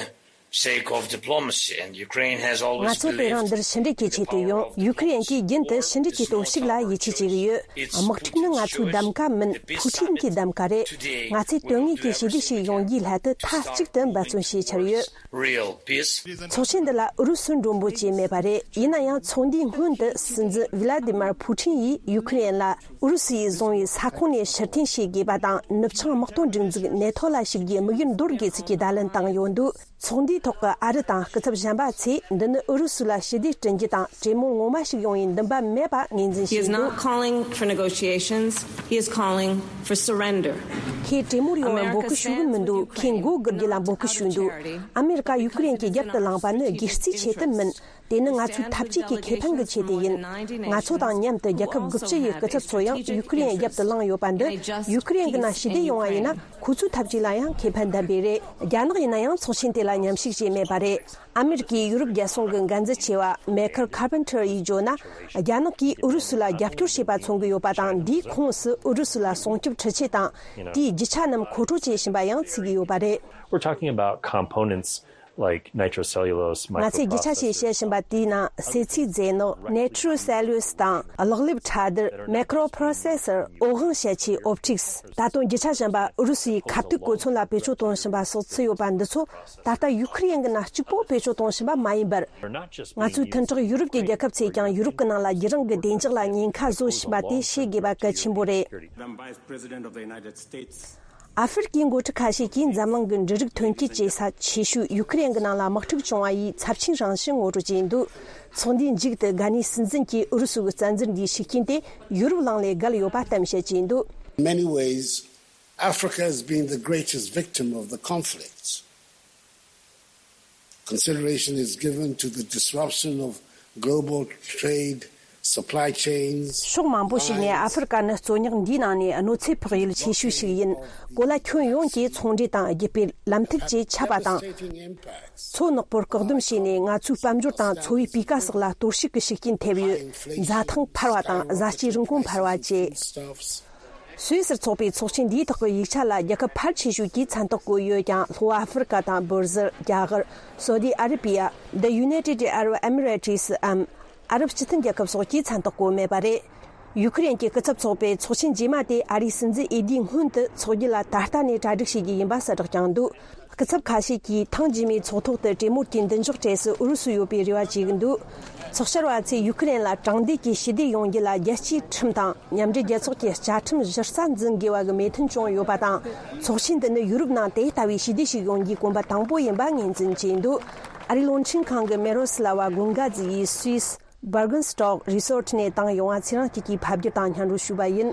sake of diplomacy, and Ukraine has always ང་ཚོ་དེ་རིང་འདིར་ཕྱི་འབྲེལ་གྱི་ཆེད་དུ་ཡོང་། ཡུ་ཁུ་རེན་གྱིས་རྒྱུན་དུ་ཕྱི་འབྲེལ་གྱི་སྟོབས་ཤུགས་ལ་ཡིད་ཆེས་བྱེད་ཀྱི་ཡོད། དམག་འཁྲུག་ནི་ང་ཚོའི་གདམ་ག་མིན། ཕུའུ་ཁྲིན་གྱི་གདམ་ག་རེད། ང་ཚོས་དོན་དངོས་ཀྱི་ཞི་བདེ་ཞིག་ཡོང་རྒྱུའི་སླད་དུ་མཐའ་གཅིག་ཏུ་འབད་བརྩོན་བྱེད་འཆར་ཡོད། Real peace. ཚོགས་ཆེན་འདི་ལ་ཨུ་རུ་སུའི་མགྲོན་པོ་བཅས་མེད་པ་རེད། ཡིན་ན་ཡང་ཚོགས་འདུའི་སྔོན་དུ་སྲིད་འཛིན་ཝི་ལ་ཏི་མར་ཕུའུ་ཁྲིན་ཡིས་ཡུ་ཁུ་རེན་ལ་ཨུ་རུ་སུ་ཡིས་བཟུང་བའི་ས་ཁོངས་ནས་ཕྱིར་འཐེན་བྱེད་དགོས་པ་དང་། ནུབ་བྱང་དམག་དོན་སྒྲིག་འཛུགས་ནེ་ཐོ་ལ་ཞུགས་རྒྱུའི་དམིགས་ཡུལ་འདོར་དགོས་ཚུལ་གྱི་བརྡ་ལན་བཏང་ཡོད་འདུག་ཚོགས་འདུའི་ ཐོག་གི་ཨ་རི་དང་སྐུ་ཚབ་གཞན་པ་ཚོས་འདི་ནི་ཨུ་རུ་སུ་ལ་ཞི་བདེ་བསྐྲུན་རྒྱུ་དང་གྲོས་མོལ་ངོ་མ་ཞིག་ཡོང་བའི་འདུན་པ་མེད་པ་ངོས་འཛིན་He is བྱས་འདུག not calling for negotiations. He is calling for surrender. ཁོས་གྲོས་མོལ་ཡོང་བར་འབོད་སྐུལ་ཞུ་གི་མི་འདུག་ཁོས་མགོ་སྒུར་རྒྱུ་ལ་འབོད་སྐུལ་ཞུས་འདུག་ཨ་མེ་རི་ཀ་ཡུ་ཀེ་རེན་གྱི་རྒྱབ་ཏུ་ལངས་པ་ནི་སྒེར་རྩིས་ཆེད་དུ་མིན། དེ་ནི་ང་ཚོའི་འཐབ་ཇུས་ཀྱི་ཁེ་ཕན་གྱི་ཆེད་དུ་ཡིན། ང་ཚོ་དང་མཉམ་དུ་རྒྱལ་ཁབ་དགུ་བཅུ་ཡི་སྐུ་ཚབ་ཚོ་ཡང་ཡུ་ཀེ་རེན་རྒྱབ་ཏུ་ལངས་ཡོད་པ་འདི་ཡུ་ཀེ་རེན་གྱི་ནང་ཞི་བདེ་ཡོང་བ་ཡིན་ན་ཁོ་ཚོའི་འཐབ་ཇུས་ལ་ཡང་ཁེ་ཕན་ལྡན་པས་རེད། རྒྱ་ནག་ཡིན་ན་ཡང་ཚོགས་ཆེན་དེ་ལ་མཉམ་ཞུགས་བྱས་མེད་པ་རེད། ཨ་མེ་རི་ཀའི་ཡུ་རོབ་རྒྱལ་སྲུང་གི་འགན་འཛིན་ཆེ་བ་མེ་ཁར་ཁར་པན་ཐར་ཡིས་བརྗོད་ན། རྒྱ་ནག་གིས་ཨུ་རུ་སུ་ལ་རྒྱབ་སྐྱོར་བྱས་པ་མཚོན་གྱི་ཡོད་པ་དང་འདིའི་ཁོངས་སུ་ཨུ་རུ་སུ་ལ་སྲུང་སྐྱོབ་འཕྲུལ་ཆས་དང་དེའི་རྒྱུ་ཆ་རྣམས་མཁོ་སྤྲོད་བྱེད་བཞིན་པ་ཡང་ཚུད་ཀྱི་ཡོད་པ་རེད། We're talking about components like nitrocellulose, ང་ཚོས་རྒྱུ་ཆ་ཞིག་microprocessors. བཤད་བཞིན་པ་དེའི་ནང་སེ་ཚིལ་རྫས་ནོར་ནེ་ཊྲོ་སེ་ལུ་ལོས་དང་གློག་ལེབ་ཕྲ་སྡུར་མེ་ཀྲོ་པྲོ་སེ་སར་འོད་དབང་བྱེད་ཆས་ཨོབ་ཊིག་སི། ད་དུང་རྒྱུ་ཆ་གཞན་པ་ཨུ་རུ་སུའི་ཁ་ཐུག་གོ་མཚོན་ལ་བེད་སྤྱོད་གཏོང་བཞིན་པ་སོགས་ཚུད་ཡོད་པ་འདི་ཚོ་ད་ལྟ་ཡུ་ཁི་རེན་གྱི་ནང་གཅིག་པོ་བེད་སྤྱོད་གཏོང་བཞིན་པ་མ་ཡིན་པར། ང་ཚོའི་མཐུན་གྲོགས་ཡུ་རོབ་ཀྱི་རྒྱལ་ཁབ་ཚོས་ཀྱང་ཡུ་རོབ་ཀྱི་ནང་ལ་རྒྱུད་རིང་གི་བདེ་འཇགས་ལ་ཉེན་ཁ་བཟོ་བཞིན་པ་དེ་ཤེས་དགོས་པ་གལ་ཆེན་པོ་རེད། Madam Vice President of the United States. ཨ་ཧྥེ་རི་ཁའི་འགོ་ཁྲིད་ཁ་ཤས་ཀྱིས་འཛམ་གླིང་གི་འབྲུ་རིགས་ཐོན་སྐྱེད་བྱེད་ས་ཆེ་ཤོས་ཡུ་ཁི་རེན་གྱི་ནང་ལ་དམག་འཁྲུག་བྱུང་བ་ཡིས་ཚབས་ཆེན་རང་བཞིན་ངོ་སྤྲོད་བྱས་འདུག་ཚོགས་འདུའི་མཇུག་ཏུ་གྷ་ནིའི་སྲིད་འཛིན་གྱིས་ཨུ་རུ་སུ་གི་བཙན་འཛུལ་འདིའི་ཤུགས་རྐྱེན་དེ་ཡུ་རོབ་གླིང་ལས་བརྒལ་ཡོད་པ་གཏམ་བཤད་བྱས་འདུག In many ways, Africa has been the greatest victim of the conflicts. Consideration is given to the disruption of global trade, supply chains. ཕྱོགས་མང་པོ་ཞིག་ནས་ཨ་ཧྥེ་རི་ཁ་ནི་རྩོད་རྙོག་འདིའི་ནང་ནས་གནོད་འཚེ་ཕོག་ཡུལ་ཆེ་ཤོས་ཤིག་ཡིན། གོ་ལ་ཁྱོན་ཡོངས་ཀྱི་ཚོང་འབྲེལ་དང་རྒྱུ་སྤེལ་ལམ་ཐིག་བཅས་ཆད་པ་དང་། མཚོ་ནག་པོར་བཀག་སྡོམ་བྱས་ནས་ང་ཚོའི་དཔལ་འབྱོར་དང་འཚོ་བའི་སྤུས་ཀ་སོགས་ལ་གཏོར་བཤིག་གི་ཤུགས་རྐྱེན་ཐེབས་ཡོད། འཛའ་ཐང་འཕར་བ་དང་བཟའ་སྐྱེལ་རིན་གོང་འཕར་བ་བཅས། སུད་སིར་འཚོགས་པའི་ཚོགས་ཆེན་འདིའི་ཐོག་གི་ཡིག་ཆ་ལ་རྒྱལ་ཁབ་ཕལ་ཆེ་ཤོས་ཀྱིས་མཚན་རྟགས་བཀོད་ཡོད་ཀྱང་ལྷོ་ཨ་ཧྥེ་རི་ཁ་དང་འབར་ཟིལ། རྒྱ་གར། སོ་ཏི་ཨ་རི་བི་ཡ། The United Arab Emirates འམ་ཨ་རབ་སྤྱི་མཐུན་རྒྱལ་ཁབ་སོགས་ཀྱིས་མཚན་རྟགས་བཀོད་མེད་པ་རེད། ཡུ་ཁི་རེན་གྱི་སྐུ་ཚབ་ཚོགས་པའི་ཚོགས་ཆེན་རྗེས་མ་དེ་ཨ་རིའི་སྲིད་འཛིན་འོས་བསྡུའི་སྔོན་དུ་འཚོགས་རྒྱུ་ལ་ད་ལྟ་ནས་གྲ་སྒྲིག་བྱེད་རྒྱུ་ཡིན་པ་གསལ་བསྒྲགས་བསྐྱངས་འདུག་སྐུ་ཚབ་ཁ་ཤས་ཀྱིས་ཐེངས་རྗེས་མའི་ཚོགས་ཐོག་ཏུ་གྲོས་མོལ་གྱི་མདུན་ཅོག་གྲས་སུ་ཨུ་རུ་སུ་ཡོད་པའི་རེ་བ་བྱེད་ཀྱི་འདུག་ཚོགས་བཅར་བ་ཚོས་ཡུ་ཁི་རེན་ལ་དྲང་བདེན་གྱི་ཞི་བདེ་ཡོང་རྒྱུ་ལ་རྒྱལ་སྤྱིའི་ཁྲིམས་དང་མཉམ་འབྲེལ་རྒྱལ་ཚོགས་ཀྱི་བཅའ་ཁྲིམས་གཞི་རྩ་འཛིན་དགོས་པ་གི་མོས་མཐུན་བྱུང་ཡོད་པ་དང་། ཚོགས་ཆེན་འདི་ནི་ཡུ་རོབ་ནང་དེ་ལྟ་བུའི་ཞི་བདེ་ཞིག་ཡོང་རྒྱུའི་གོམ་པ་དང་པོ་ཡིན་པ་ངོས་འཛིན་བྱས་འདུག་ཨ་རིའི་རླུང་འཕྲིན་ཁང་གི་མེ་རོ་སི་ལ་ཝ་གུན་གྷ་ཛི་ཡིས་སུད་སི་Bergenstock Resort ནས་བཏང་ཡོང་བ་ཚེ་རིང་སྐྱིད་ཀྱིས་ཕབ་བསྒྱུར་དང་སྙན་སྒྲོན་ཞུས་པ་ཡིན།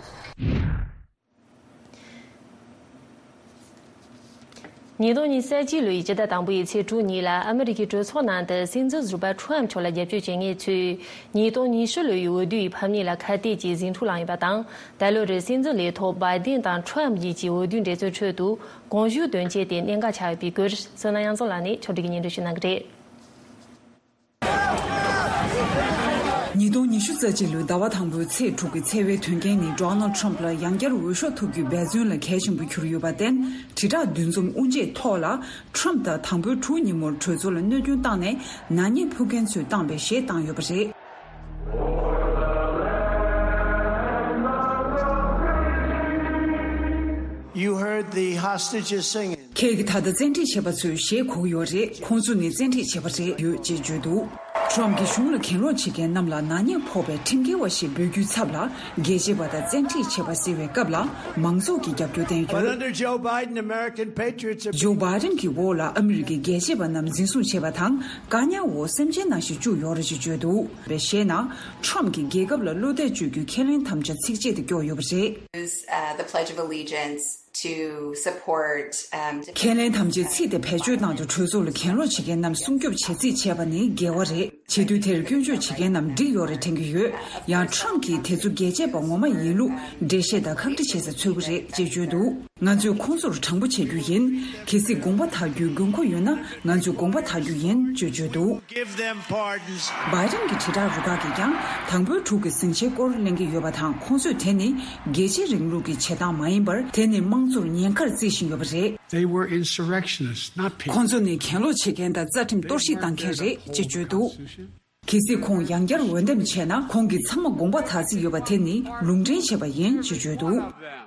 ཉིས་སྟོང་ཉི་ཤུ་རྩ་གཅིག་ལོའི་སྤྱི་ཟླ་དང་པོའི་ཚེས་དྲུག་ཉིན་ལ་ཨ་མི་རི་ཀའི་གྲོས་ཚོགས་ནང་དུ་སྲིད་འཛིན་ཟུར་པ་ཁྲོམ་མཆོག་ལ་རྒྱབ་སྐྱོར་བྱེད་མཁན་ཚོས་ཉིས་སྟོང་ཉི་ཤུ་ལོའི་འོས་བསྡུའི་ཕམ་ཉེས་ལ་ཁ་གཏད་ཀྱིས་ཟིང་འཁྲུག་བསླངས་ཡོད་པ་དང་། ད་ལོ་རེའི་སྲིད་འཛིན་ལས་ཐོག་བྷའི་ཌེན་དང་ཁྲོམ་གཉིས་ཀྱི་འོས་བསྡུའི་འགྲན་རྩོད་ཁྲོད་དུ་དགོངས་ཞུ་འདོན་ཆེད་དེ་གནད་འགག་ཆགས་ཡོད་པའི་སྐོར་སོ་ན་གཡང་འཛོམས་ལགས་ནས་ཕྱོགས་སྒྲིག་གིས་སྙན་སྒྲོན་ཞུ་གནང་གི་རེད། ཉིས་སྟོང་ཉི་ཤུ་རྩ་གཅིག་ལོའི་ཟླ་བ་དང་པོའི་ཚེས་དྲུག་གི་འཚེ་བའི་དོན་རྐྱེན་ནི་ཌོ་ནལ་ཁྲམ་ལ་ཡང་བསྐྱར་འོས་ཤོག་འཐོབ་རྒྱུའི་འབད་བརྩོན་ལ་གལ་ཆེན་པོ་གྱུར་ཡོད་པར་བརྟེན། དྲིལ་བསྒྲགས་འདུ་འཛོམས་དབུ་འབྱེད་ཐོག་ལ་ཁྲམ་དང་དང་པོའི་དྲུག་ཉིན་མོར་གྲོས་ཚོགས་ལ་གནོད་སྐྱོན་བཏང་ནས་ནག་ཉེས་ཕོག་མཁན་ཚོས་བཏང་བའི་གཞས་བཏང་ཡོད་པ་རེད། You heard the hostages singing. ཁྱེད་ཀྱིས་ད་ལྟ་བཙན་ཁྲིད་བྱས་པ་ཚོས་གཞས་གོ་གི་ཡོད་རེད། ཁོང་ཚོ་ནི་བཙན་ཁྲིད་བྱས་པ་རེད་ཡོད་ཅེས་བརྗོད་འདུག་ཁྲམ་གྱིས་གཞུང་ལ་གྱེན་ལོག་བྱེད་མཁན་རྣམས་ལ་ནག་ཉེས་ཕོག་པའི་ཁྲིམས་འགལ་བ་ཞེས་འབོད་རྒྱུའི་ཚབ་ལ་རྒྱལ་གཅེས་པ་དང་བཙན་ཁྲིད་བྱས་པ་ཟེར་བའི་སྐབས་ལ་མང་ཚོགས་ཀྱི་རྒྱབ་སྐྱོར་བསྟན་ཡོད། But under Joe Biden, American patriots have ཇོ་བྷའི་ཌེན་གྱི་འོག་ལ་ཨ་མི་རི་ཀའི་རྒྱལ་གཅེས་པ་རྣམས་འཛིན་བཟུང་བྱས་པ་དང་བཀག་ཉར་འོག་སེམས་ཅན་ནང་བཞིན་བཅུག་ཡོད་རེད་ཅེས་བརྗོད་འདུག་པའི་གཞས་ནང་ཁྲམ་གྱིས་རྒྱལ་ཁབ་ལ་བློ་གཏད་བཅོལ་རྒྱུའི་ཁས་ལེན་དམ་བཅའ་ཚིགས་བཅད་དེ་བཀོད་ཡོད་པ་རེད། Use, uh, the Pledge of Allegiance to support, um, ཁས་ལེན་དམ་བཅའི་ཚིག་དེ་བེད་སྤྱོད་གནང་དུ་གྲོས་ཚོགས་ལ་གྱེན་ལོག་བྱེད་མཁན་རྣམས་སྲུང་སྐྱོབ་བྱེད་རྩིས་བྱས་པ་ནི་འགལ་བ་རེད། བྱེད་དུས་དེར་སྐྱོན་བརྗོད་བྱེད་མཁན་རྣམས་འགྲིག་ཡོད་རེད་དྲན་གྱི་ཡོད། ཡང་ཁྲམ་གྱིས་དེ་ཚོ་རྒྱལ་གཅེས་པ་ངོ་མ་ཡིན་ལུགས་འགྲེལ་བཤད་དང་ཁག་དཀྲི་བྱེད་ས་འཚོལ་གྱི་རེད་ཅེས་བརྗོད་འདུག་ང་ཚོས་ཁོང་ཚོར་དྲང་པོ་བྱེད་རྒྱུ་ཡིན། གལ་སྲིད་དགོངས་པ་དག་རྒྱུའི་དགོས་མཁོ་ཡོད་ན་ང་ཚོས་དགོངས་པ་དག་རྒྱུ་ཡིན་ཅེས་བརྗོད་འདུག Give them pardons. བྷའི་ཌེན་གྱི་དྲིལ་བསྒྲགས་རུ་ཁག་གིས་ཀྱང་དང་པོའི་དྲུག་གི་ཟིང་ཆའི་སྐོར་གླེང་གི་ཡོད་པ་དང་ཁོང་ཚོས་དེ་ནི་རྒྱལ་གཅེས་རིང་ལུགས་ཀྱི་བྱེད་སྟངས་མ་ཡིན་པར་དེ་ནི་དམངས་གཙོར་ཉེན་ཁར་བརྩི་བཞིན་ཡོད་པ་རེད། They were insurrectionists, not people. ཁོང་ཚོ་ནི་གྱེན་ལོག་བྱེད་མཁན་དང་རྩ་ཁྲིམས་གཏོར་བཤིག་བཏང་མཁན་རེད་ཅེས་བརྗོད་འདུག་གལ་སྲིད་ཁོང་ཡང་བསྐྱར་འོས་འདེམས་བྱས་ན། ཁོང་གིས་ཚང་མ་དགོངས་པ་དག་རྩིས་ཡོད་པ་དེ་ནི་ལུང་འདྲེན་བྱས་པ་ཡིན་ཅེས་བརྗོད་འདུག་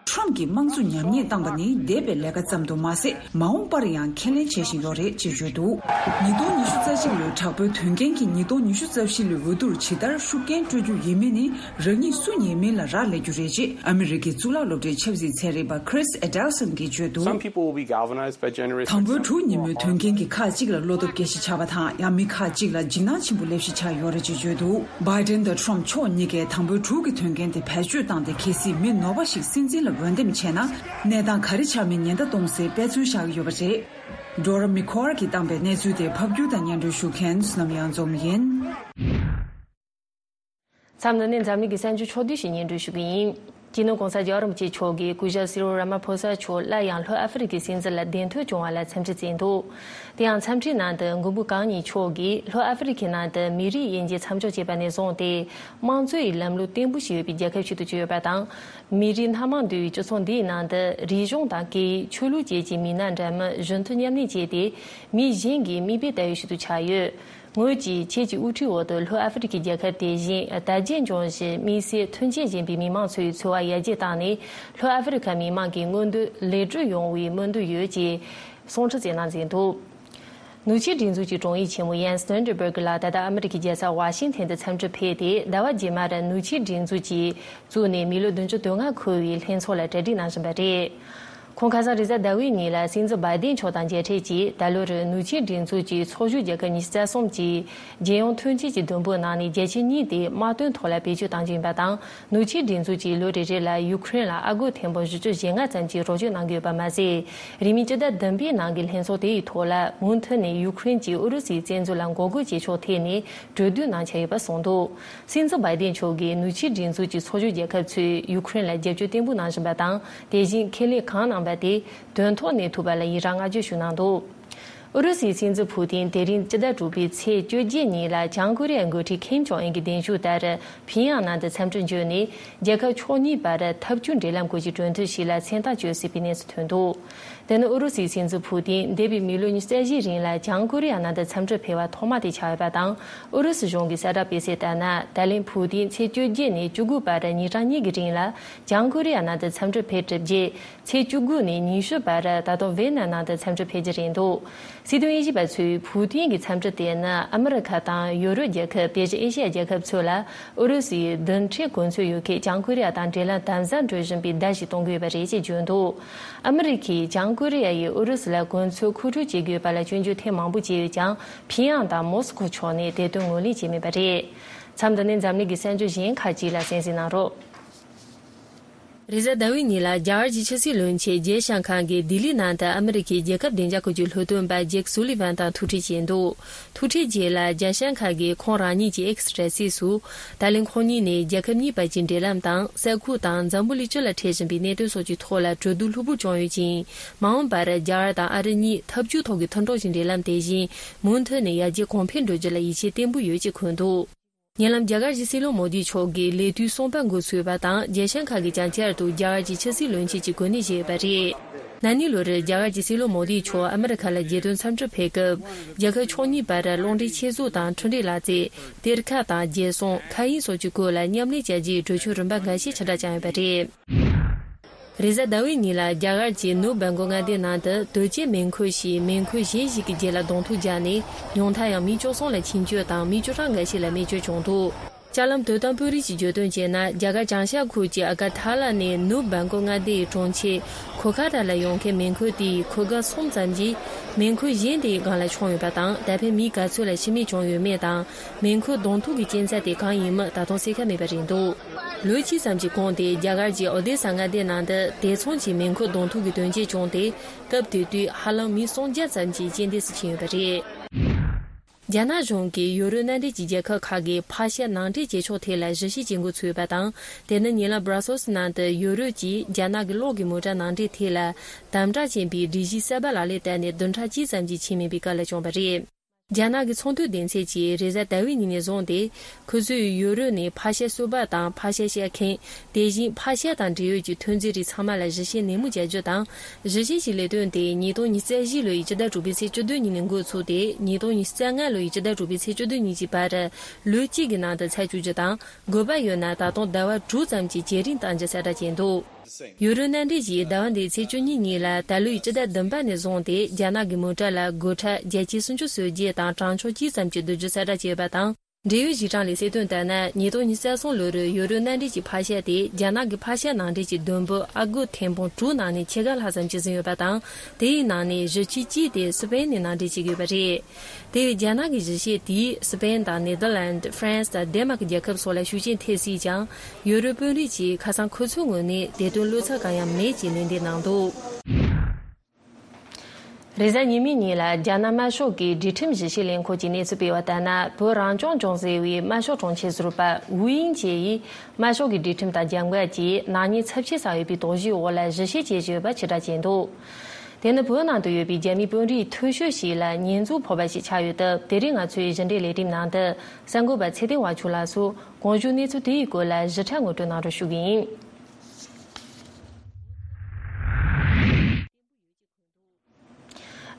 ཊམ་གྱིས་དམངས་གཙོ་ཉམས་ཉེས་བཏང་བ་ནི་འདས་པའི་ལས་ཀ་ཙམ་དུ་མ་ཟད། མ་འོངས་པར་ཡང་ཁས་ལེན་བྱེད་བཞིན་ཡོད་རེད་ཅེས་བརྗོད་འདུག་ཉིས་སྟོང་ཉི་ཤུ་རྩ་གཅིག་ལོའི་དྲག་པོའི་དོན་རྐྱེན་གྱིས་ཉིས་སྟོང་ཉི་ཤུ་རྩ་བཞི་ལོའི་འོས་བསྡུར་ཇི་ལྟར་ཤུགས་རྐྱེན་སྤྲོད་རྒྱུ་ཡིན་མིན་ནི། རང་ཉིད་སུ་ཉེས་མིན་ལ་རག་ལས་རྒྱུ་རེད་ཅེས་ཨ་མི་རི་ཀའི་གཙུག་ལག་སློབ་གྲྭའི་ཆབ་སྲིད་ཚན་རིག་པ་Chris Adelson་གྱིས་བརྗོད་འདུག Some people will be galvanized by generations of དང་པོའི་དྲུག་ཉིན་མོའི་དོན་རྐྱེན་གྱིས་ཁག་ཅིག་ལ་བློ་སྟོབས་སྐྱེད་གཞི་ཆགས་པ་དང་། ཡང་མི་ཁག་ཅིག་ལ་འཇིགས་སྣང་ཆེན་པོ་སླེབས་གཞི་ཆགས་ཡོད་རེད་ཅེས་བརྗོད་འདུག Biden་དང་Trump་ཕྱོགས་གཉིས་ཀས་དང་པོའི་དྲུག་གི་དོན་རྐྱེན་དེ་བེད་སྤྱོད་བཏང་སྟེ། གལ་སྲིད་མི་ནོར་བ་ཞིག་སྲིད་འཛིན་ལ་འོས་འདེམས་བྱས་ན། གནས་སྟངས་ག་རེ་ཆགས་མིན་ཉེན་བརྡ་གཏོང་སའི་དཔེ་མཚོན་བཞག་གི་ཡོད་པ་རེད། Dora Mikor་གིས་བཏང་པའི་གནས་ཚུལ་དེ་ཕབ་སྒྱུར་དང་སྙན་སྒྲོན་ཞུ་མཁན་བསོད་ནམས་གཡང་འཛོམས་ཡིན། མཚམས་འདི་ནས་འཛམ་གླིང་གི་གསར་འགྱུར་ཕྱོགས་བསྡུས་ཤིག་སྙན་སྒྲོན་ཞུ་གི་ཡིན། སྤྱི་ནོར་གོང་ས་རྒྱལ་བ་རིན་པོ་ཆེ་མཆོག་གིས་སྐུ་ཞབས་སི་རིལ་ར་མ་ཕོ་ས་མཆོག་སླར་ཡང་ལྷོ་ཨ་ཧྥེ་རི་ཁའི་སྲིད་འཛིན་ལ་གདན་ཐོན་བྱུང་བ་ལ་འཚམས་འདྲི་བསྩལ་འདུག་དེ་ཡང་འཚམས་འདྲིའི་ནང་དུ་མགོན་པོ་གང་ཉིད་མཆོག་གིས་ལྷོ་ཨ་ཧྥེ་རི་ཁའི་ནང་དུ་མི་རིགས་དབྱེ་འབྱེད་མཚམས་འཇོག་བྱས་པ་ནས་བཟུང་སྟེ། དམངས་གཙོའི་ལམ་ལུགས་བརྟན་པོ་ཞིག་ཡོད་པའི་རྒྱལ་ཁབ་ཞིག་ཏུ་གྱུར་ཡོད་པ་དང་། མི་རིགས་སྣ་མང་འདུས་པའི་སྤྱི་ཚོགས་འདིའི་ནང་དུ་རིག་གཞུང་དང་སྐད་ཡིག་ཆོས་ལུགས་བཅས་ཀྱི་མི་སྣ་འདྲ་མིན་གཞོན་མཐུན་མཉམ་གནས་བྱས་ཏེ། མི་གཞན་གྱི་མིག་དཔེ་ལྟ་བུ་ཞིག་ཏུ་ཆགས་ཡོད། ངོས་ཀྱིས་ཁྱེད་ཀྱི་དབུ་ཁྲིད་འོག་ཏུ་ལྷོ་ཨ་ཧྥེ་རི་ཁའི་རྒྱལ་ཁབ་དེ་བཞིན་དར་རྒྱས་འབྱུང་བཞིན་དམིགས་བསལ་མཐུན་རྐྱེན་ལྡན་པའི་མི་མང་ཚོའི་འཚོ་བ་ཡར་རྒྱས་བཏང་ནས། ལྷོ་ཨ་ཧྥེ་རི་ཁ་མི་མང་གི་མངོན་འདོད་ལེགས་གྲུབ་ཡོང་བའི་སྨོན་འདུན་ཡོད་ཅེས་གསུང་འཕྲིན་བསྩལ་གནང་མཛད་འདུག་ནུབ་ཕྱོགས་སྒྲིག་འཛུགས་ཀྱི་དྲུང་ཡིག་ཆེན་མོ་ཡན་སི་སྟོན་ཊེན་སྦུར་གི་ལགས་ད་ལྟ་ཨ་མི་རི་ཀའི་རྒྱལ་ས་ཝ་ཤིང་ཐན་དུ་འཚམས་འདྲིར་ཕེབས་ཏེ། ཟླ་བ་རྗེས་མར་ནུབ་ཕྱོགས་སྒྲིག་འཛུགས་ཀྱིས་བཙུགས་ནས་མི་ལོ་བདུན་ཅུ་དོན་ལྔ་འཁོར་བའི་ལྷན་ཚོགས་ལ་གྲ་སྒྲིག་གནང་བཞིན་པ་རེད། ཁོང་ཁ་སང་རེས་གཟའ་ཟླ་བའི་ཉིན་ལ་སྲིད་འཛིན་བྷའི་ཌེན་མཆོག་དང་མཇལ་འཕྲད་ཀྱིས། ད་ལོར་ནུབ་ཕྱོགས་སྒྲིག་འཛུགས་ཀྱི་ཚོགས་ཞུགས་རྒྱལ་ཁབ་ཉི་ཤུ་རྩ་གསུམ་གྱིས་རྒྱལ་ཡོངས་མཐུན་རྐྱེན་གྱི་དུམ་བུའི་ནང་ནས་རྒྱ་ཆེ་གཉིས་དེ་དམག་དོན་ཐོག་ལ་བེད་སྤྱོད་གཏང་རྒྱུ་ཡིན་པ་དང་། ནུབ་ཕྱོགས་སྒྲིག་འཛུགས་ཀྱིས་ལོ་རེ་རེ་ལ་ཡུ་ཁུ་རེན་ལ་ཨ་སྒོར་ཐེར་འབུམ་བཞི་བཅུ་ཞེ་ལྔ་ཙམ་གྱི་རོགས་སྐྱོར་གནང་གི་ཡོད་པ་མ་ཟད། རིང་མིན་སྤྱི་ཟླ་བདུན་པའི་ནང་གི་ལྷན་ཚོགས་དེ་ཡི་ཐོག་ལ་མུ་མཐུད་ནས་ཡུ་ཁུ་རེན་གྱིས་ཨུ་རུ་སུའི་བཙན་འཛུལ་ལ་འགོག་རྒོལ་བྱེད་ཕྱོགས་ཐད་ནས་གྲོས་བསྡུར་གནང་འཆར་ཡོད་པ་གསུངས་འདུག་སྲིད་འཛིན་བྷའི་ཌེན་མཆོག་གིས་ནུབ་ཕྱོགས་སྒྲིག་འཛུགས་ཀྱི་ཚོགས་ཞུགས་རྒྱལ་ཁབ་ཚོས་ཡུ་ཁུ་རེན་ལ་རྒྱབ་སྐྱོར་བརྟན་པོ་གནང་བཞིན་པ་དང་། དེ་བཞིན་ཁས་ལེན་གང་གནང་པ་དེ་དོན་ཐོག་ནས་ཐུབ་པ་ལ་ཡི་རང་བསྔགས་བརྗོད་ཞུ་གནང་འདུག་ཨུ་རུ་སུའི་སྲིད་འཛིན་ཕུ་ཏིན་དེ་རིང་སྤྱི་ཟླ་དྲུག་པའི་ཚེས་བཅོ་བརྒྱད་ཉིན་ལ་བྱང་ཀོ་རི་ཡའི་འགོ་ཁྲིད་ཁིམ་ཇོང་ཨན་གྱི་གདན་ཞུ་ལྟར། ཕིང་ཡང་ནང་དུ་འཚམས་འདྲིར་འབྱོན་ནས། རྒྱལ་ཁབ་ཕྱོགས་གཉིས་བར་འཐབ་ཇུས་འབྲེལ་ལམ་སྐོར་གྱི་གྲོས་མཐུན་ཞིག་ལ་མཚན་རྟགས་བཅོལ་སྲིད་པའི་གནས་སུ་ཐོན་འདུག་དེ་ནི་ཨུ་རུ་སུའི་སྲིད་འཛིན་ཕུ་ཏིན་འདས་པའི་མི་ལོ་ཉི་ཤུ་རྩ་བཞིའི་རིང་ལ་བྱང་ཀོ་རི་ཡ་ནང་དུ་འཚམས་འདྲིར་ཕེབས་པ་ཐོག་མ་དེ་ཆགས་ཡོད་པ་དང་། ཨུ་རུ་སུ་གཞུང་གི་གསལ་བསྒྲགས་སྤེལ་གསལ་ལྟར་ན། ད་ལན་ཕུ་ཏིན་ཚེས་བཅོ་བརྒྱད་ནས་བཅུ་དགུ་བར་ཉིན་གྲངས་གཉིས་ཀྱི་རིང་ལ་བྱང་ཀོ་རི་ཡ་ནང་དུ་འཚམས་འདྲིར་ཕེབས་གྲུབ་རྗེས། ཚེས་བཅུ་དགུ་ནས་ཉི་ཤུ་བར་ད་དུང་ཝེ་ན་ནང་དུ་འཚམས་འདྲིར་ཕེབས་རྒྱུ་རེད་འདུག་སྲིད་དོན་དབྱེ་ཞིབ་པ་ཚོས་ཕུའུ་ཏིན་གྱི་འཚམས་འདྲི་དེ་ནི་ཨ་མི་རི་ཁ་དང་ཡོ་རོབ་རྒྱལ་ཁབ། དེ་བཞིན་ཨེ་ཤི་ཡ་རྒྱལ་ཁབ་ཚོ་ལ་ཨུ་རུ་སུའི་རྡུལ་ཕྲན་གོ་མཚོན་ཡོད་མཁན་བྱང་ཀོ་རི་ཡ་དང་འབྲེལ་ལམ་དམ་ཟབ་འགྲོ་བཞིན་པའི་བརྡ་ཞིག་གཏོང་གི་ཡོད་པ་རེད་ཅེས་བརྗོད་འདུག་ཨ་མི་རི་ཁས་བྱང་ཀོ་རི་ཡ་ཡིས་ཨུ་རུ་སུ་ལ་གོ་མཚོན་མཁོ་སྤྲོད་བྱེད་དགོས་པ་ལ་སྐྱོན་བརྗོད་ཐེངས་མང་པོ་བྱས་ཡོད་ཀྱང་། ཕིང་ཡང་དང་མོ་སི་ཁོ་ཕྱོགས་ནས་དེ་དོན་ངོས་ལེན་བྱས་མེད་པ་རེད། མཚམས་འདི་ནས་འཛམ་གླིང་གི་གསར་འགྱུར་གཞན་ཁག་ཅིག་ལ་གསན་གཟིགས་གནང་རོགས། རེས་གཟའ་ཟླ་བའི་ཉིན་ལ་རྒྱ་གར་གྱི་ཕྱི་སྲིད་བློན་ཆེན་ཇེ་ཤང་ཁ་གིས་ལྡི་ལི་ནང་དུ་ཨ་མི་རི་ཀའི་རྒྱལ་ཁབ་བདེ་འཇགས་ཁུལ་གྱི་སློབ་སྟོན་པ་ཇེཀ་སུ་ལི་ཝན་དང་ཐུག་འཕྲད་བྱས་འདུག་ཐུག་འཕྲད་རྗེས་ལ་ཇེ་ཤང་ཁ་གིས་ཁོང་རང་ཉིད་ཀྱི་ཨེག་སི་དྲ་ཚིགས་སུ། ད་ལན་ཁོང་གཉིས་ནས་རྒྱལ་ཁབ་གཉིས་བར་གྱི་འབྲེལ་ལམ་དང་ས་ཁུལ་དང་འཛམ་བུ་གླིང་སྤྱི་ལ་འཕྲད་བཞིན་པའི་གནད་དོན་སོགས་ཀྱི་ཐོག་ལ་གྲོས་བསྡུར་ལྷུག་པོ་བྱུང་ཡོད་ཅིང་། མ་འོངས་པར་རྒྱ་གར་དང་ཨ་རི་གཉིས་འཐབ་ཇུས་ཐོག་གི་མཐུན་གྲོགས་ཀྱི་འབྲེལ་ལམ་དེ་བཞིན་མུ་མཐུད་ནས་ཡར་རྒྱས་གོང་འཕེལ་འགྲོ་རྒྱུ་ལ་ཡིད་ཆེས་བརྟན་པོ་ཡོད་ཅེས་འཁོད་འདུག་ཉེ་ལམ་རྒྱ་གར་གྱི་སྲིད་བློན་མོ་དི་མཆོག་གིས་ལས་དུས་གསུམ་པ་འགོ་ཚུགས་པ་དང་། ཇེ་ཤང་ཁ་གིས་ཀྱང་བསྐྱར་དུ་རྒྱ་གར་གྱི་ཕྱི་སྲིད་བློན་ཆེན་གྱི་གོ་གནས་བཞེས་ཡོད་པ་རེད། ན་ནིང་ལོར་རྒྱ་གར་གྱི་སྲིད་བློན་མོ་དི་མཆོག་ཨ་མི་རི་ཁ་ལ་རྒྱལ་དོན་འཚམས་འདྲིར་ཕེབས་སྐབས། རྒྱལ་ཁབ་ཕྱོགས་གཉིས་བར་རླུང་འཕྲིན་ཆེད་བཟོ་དང་འཕྲུལ་རིག་ལག་རྩལ། གཏེར་ཁ་དང་རྒྱལ་སྲུང་། མཁའ་དབྱིངས་སོགས་ཀྱི་སྐོར་ལ་མཉམ་ལས་བྱ་རྒྱུའི་གྲོས་ཆོད་རིམ་པ་འགའ་ཤས་ཆ་འདྲ་བཅངས་ཡོད་པ་རེད། རེས་གཟའ་ཟླ་བའི་ཉིན་ལ་རྒྱ་གར་གྱི་ནུབ་སྦེལ་ཀོབ་མངའ་སྡེའི་ནང་དུ་དོས་སྐྱེལ་མེ་འཁོར་ཞིག་མེ་འཁོར་གཞན་ཞིག་གི་རྗེས་ལ་གདོང་ཐུག་བརྒྱབ་ནས། ཉུང་མཐར་ཡང་མི་བཅུ་གསུམ་ལ་འཆིང་སྐྱོད་དང་མི་བཅུ་གྲངས་འགའ་ཤས་ལ་རྨས་སྐྱོན་བྱུང་འདུག་ལྕགས་ལམ་དོ་དམ་དཔོན་རིགས་ཀྱིས་བརྗོད་དོན་བྱས་ན། རྒྱ་གར་བྱང་ཤར་ཁུལ་གྱི་ཨ་ག་ཐ་ལ་ནས་ནུབ་སྦེལ་ཀོབ་མངའ་སྡེའི་གྲོང་ཁྱེར་ཁོ་ཁ་ར་ལ་ཡོང་མཁན་མེ་འཁོར་དེའི་འཁོར་སྒམ་གསུམ་ཙམ་གྱིས་མེ་འཁོར་གཞན་དེའི་སྒང་ལ་མཆོངས་ཡོད་པ་དང་། ད་ཕན་མི་ག་ཚོད་ལ་ཤི་རྨས་བྱུང་ཡོད་མེད་དང་། མེ་འཁོར་གདོང་ཐུག་གི་རྐྱེན་རྩ་དེ་གང་ཡིན་མིན་ད་དུང་གསལ་ཁ་མེད་པ་རེད་འདུག་ལོ་གཅིག་ཙམ་གྱི་གོང་དེ་རྒྱ་གར་གྱི་ཨོ་དེ་ས་མངའ་སྡེའི་ནང་དུ་དེ་མཚུངས་ཀྱི་མེ་འཁོར་གདོང་ཐུག་གི་དོན་རྐྱེན་བྱུང་སྟེ། སྐབས་དེ་དུས་ཧ་ལམ་མི་སུམ་བརྒྱ་ཙམ་གྱིས་རྐྱེན་འདས་སུ་ཕྱིན་ཡོད་པ་རེད། རྒྱ་ནག་གཞུང་གིས་ཡོ་རོབ་མནའ་འབྲེལ་གྱི་རྒྱལ་ཁབ་ཁག་གིས་ཕག་ཤ་ནང་འདྲེན་བྱེད་ཕྱོགས་ཐད་ལ་ཞིབ་བཤེར་བྱེད་འགོ་ཚུགས་ཡོད་པ་དང་། དེ་ནི་ཉེ་ལམ་སྦྲ་སེལ་སི་ནང་དུ་ཡོ་རོབ་ཀྱིས་རྒྱ་ནག་གི་གློག་གི་མོ་ཊ་ནང་འདྲེན་ཐད་ལ་དམ་དྲག་ཆེན་པོའི་སྒྲིག་གཞི་གསར་པ་ལག་ལེན་བསྟར་ནས་བདུན་ཕྲག་གཅིག་ཙམ་གྱིས་ཕྱིན་མེད་པའི་སྐབས་ལ་བྱུང་བ་རེད། རྒྱ་ནག་གི་ཚོང་དོན་སྡེ་ཚན་གྱིས་རེས་གཟའ་ཟླ་བའི་ཉིན་ནས་བཟུང་སྟེ། ཁོ་ཚོས་ཡུ་རོབ་ནས་ཕག་ཤ་གསོད་པ་དང་ཕག་ཤ་བཤས་མཁན། དེ་བཞིན་ཕག་ཤ་དང་འབྲེལ་ཡོད་ཀྱི་ཐོན་རྫས་རིགས་ཚང་མ་ལ་ཞིབ་བཤེར་ནན་མོ་བྱ་རྒྱུ་དང་། ཞིབ་བཤེར་གྱི་ལས་དོན་དེ་ཉིས་སྟོང་ཉི་ཤུ་རྩ་བཞི་ལོའི་སྤྱི་ཟླ་དྲུག་པའི་ཚེས་བཅུ་བདུན་ཉིན་ནས་འགོ་ཚུགས་ཏེ། ཉིས་སྟོང་ཉི་ཤུ་རྩ་ལྔ་ལོའི་སྤྱི་ཟླ་དྲུག་པའི་ཚེས་བཅུ་བདུན་ཉིན་གྱི་བར། ལོ་གཅིག་གི་ནང་དུ་ཚར་བཅུག་རྒྱུ་དང་། དགོས་པ་ཡོད་ན་ད་དུང་ཟླ་བ་དྲུག་ཙམ་གྱི་བརྒྱུད་རིམ་གཏང་རྒྱུ་གསལ་བསྒྲགས་བྱས་འདུག་ཡུ་རོབ་མནའ་འབྲེལ་གྱིས་ཟླ་བ་འདིའི་ཚེས་བཅུ་གཉིས་ཉིན་ལ་ད་ལོའི་སྤྱི་ཟླ་བདུན་པ་ནས་བཟུང་སྟེ། རྒྱ་ནག་གི་མོ་ཊ་ལ་སྒོ་ཁྲལ་བརྒྱ་ཆ་སུམ་ཅུ་སོན་རྒྱུ་དང་། གྲངས་ཆུང་གཅིག་ཙམ་གྱི་བསྡུ་རྒྱུ་གསལ་བསྒྲགས་བྱས་ཡོད་པ་དང་། འབྲེལ་ཡོད་གཞི་གྲངས་ལས་གསལ་དོན་ལྟར་ན། ཉིས་སྟོང་ཉི་ཤུ་རྩ་གསུམ་ལོ་རུ་ཡུ་རོབ་མནའ་འབྲེལ་གྱི་ཕག་ཤ་དེ་རྒྱ་ནག་གི་ཕག་ཤ་ནང་འདྲེན་གྱི་བསྡོམས་པོ་ཨ་སྒོར་ཐེར་འབུམ་དྲུག་ནང་ནས་ཕྱེད་ཀ་ལྷག་ཙམ་ཅིག་ཟིན་ཡོད་པ་དང་། དེའི་ནང་ནས་བཞི་ཆའི་གཅིག་དེ་སི་པེན་ནས་ནང་འདྲེན་བྱེད་ཀྱི་ཡོད་པ་རེད། དེ་བས་རྒྱ་ནག་གི་གཞི་བྱེས་དེས་སི་པེན་དང་ནེ་དར་ལན། ཧྥ་རན་སི་དང་ཌེན་མཱག་རྒྱལ་ཁབ་སོགས་ལ་ཤུགས་རྐྱེན་ཐེབས་སྲིད་ཀྱང་། ཡུ་རོབ་དཔོན་རིགས་ཀྱིས་ཁ་སང་ཁོ་ཚོའི་ངོས་ནས་དེ་དོན་བློ་འཚབ་གང་ཡང་མེད་ཅེས་ལན་འདེབས་གནང་འདུག་རེས་གཟའ་ཉི་མའི་ཉིན་ལ་རྒྱ་ནག་དམར་ཤོག་གི་སྒྲིག་ཁྲིམས་ཞིབ་བཤེར་ལས་ཁུངས་ཀྱིས་གནས་ཚུལ་སྤེལ་བ་ལྟར་ན། བོད་རང་སྐྱོང་ལྗོངས་ཟེར་བའི་དམར་ཤོག་གྲོང་ཁྱེར་ཟུར་པ་ཝུའུ་དབྱིང་ཅེ་ཡིས་དམར་ཤོག་གི་སྒྲིག་ཁྲིམས་དང་རྒྱབ་འགལ་གྱིས་ནག་ཉེས་ཚབས་ཆེ་བསགས་ཡོད་པའི་དོགས་གཞིའི་འོག་ལ་ཞིབ་བཤེར་བྱེད་བཞིན་ཡོད་པ་ཕྱིར་བསྒྲགས་བྱས་འདུག་དེ་ནི་བོད་ནང་དུ་ཡོད་པའི་རྒྱ་མིའི་དཔོན་རིགས་མཐོ་ཤོས་ཤིག་ལ་ཉེས་འཛུགས་ཕོག་པ་ཞིག་ཆགས་ཡོད་སྟབས། དེ་རིང་ང་ཚོའི་གཞི་འབྲེལ་ལས་རིམ་ནང་དུ་གསར་འགོད་པ་ཚེ་བརྟན་དབང་ཕྱུག་ལགས་སུ་གོང་ཞུས་གནས་ཚུལ་དེའི་སྐོར་ལ་ཞིབ་ཕྲ་ངོ་སྤྲོད་གནང་རོགས་ཞུ་གི་ཡིན།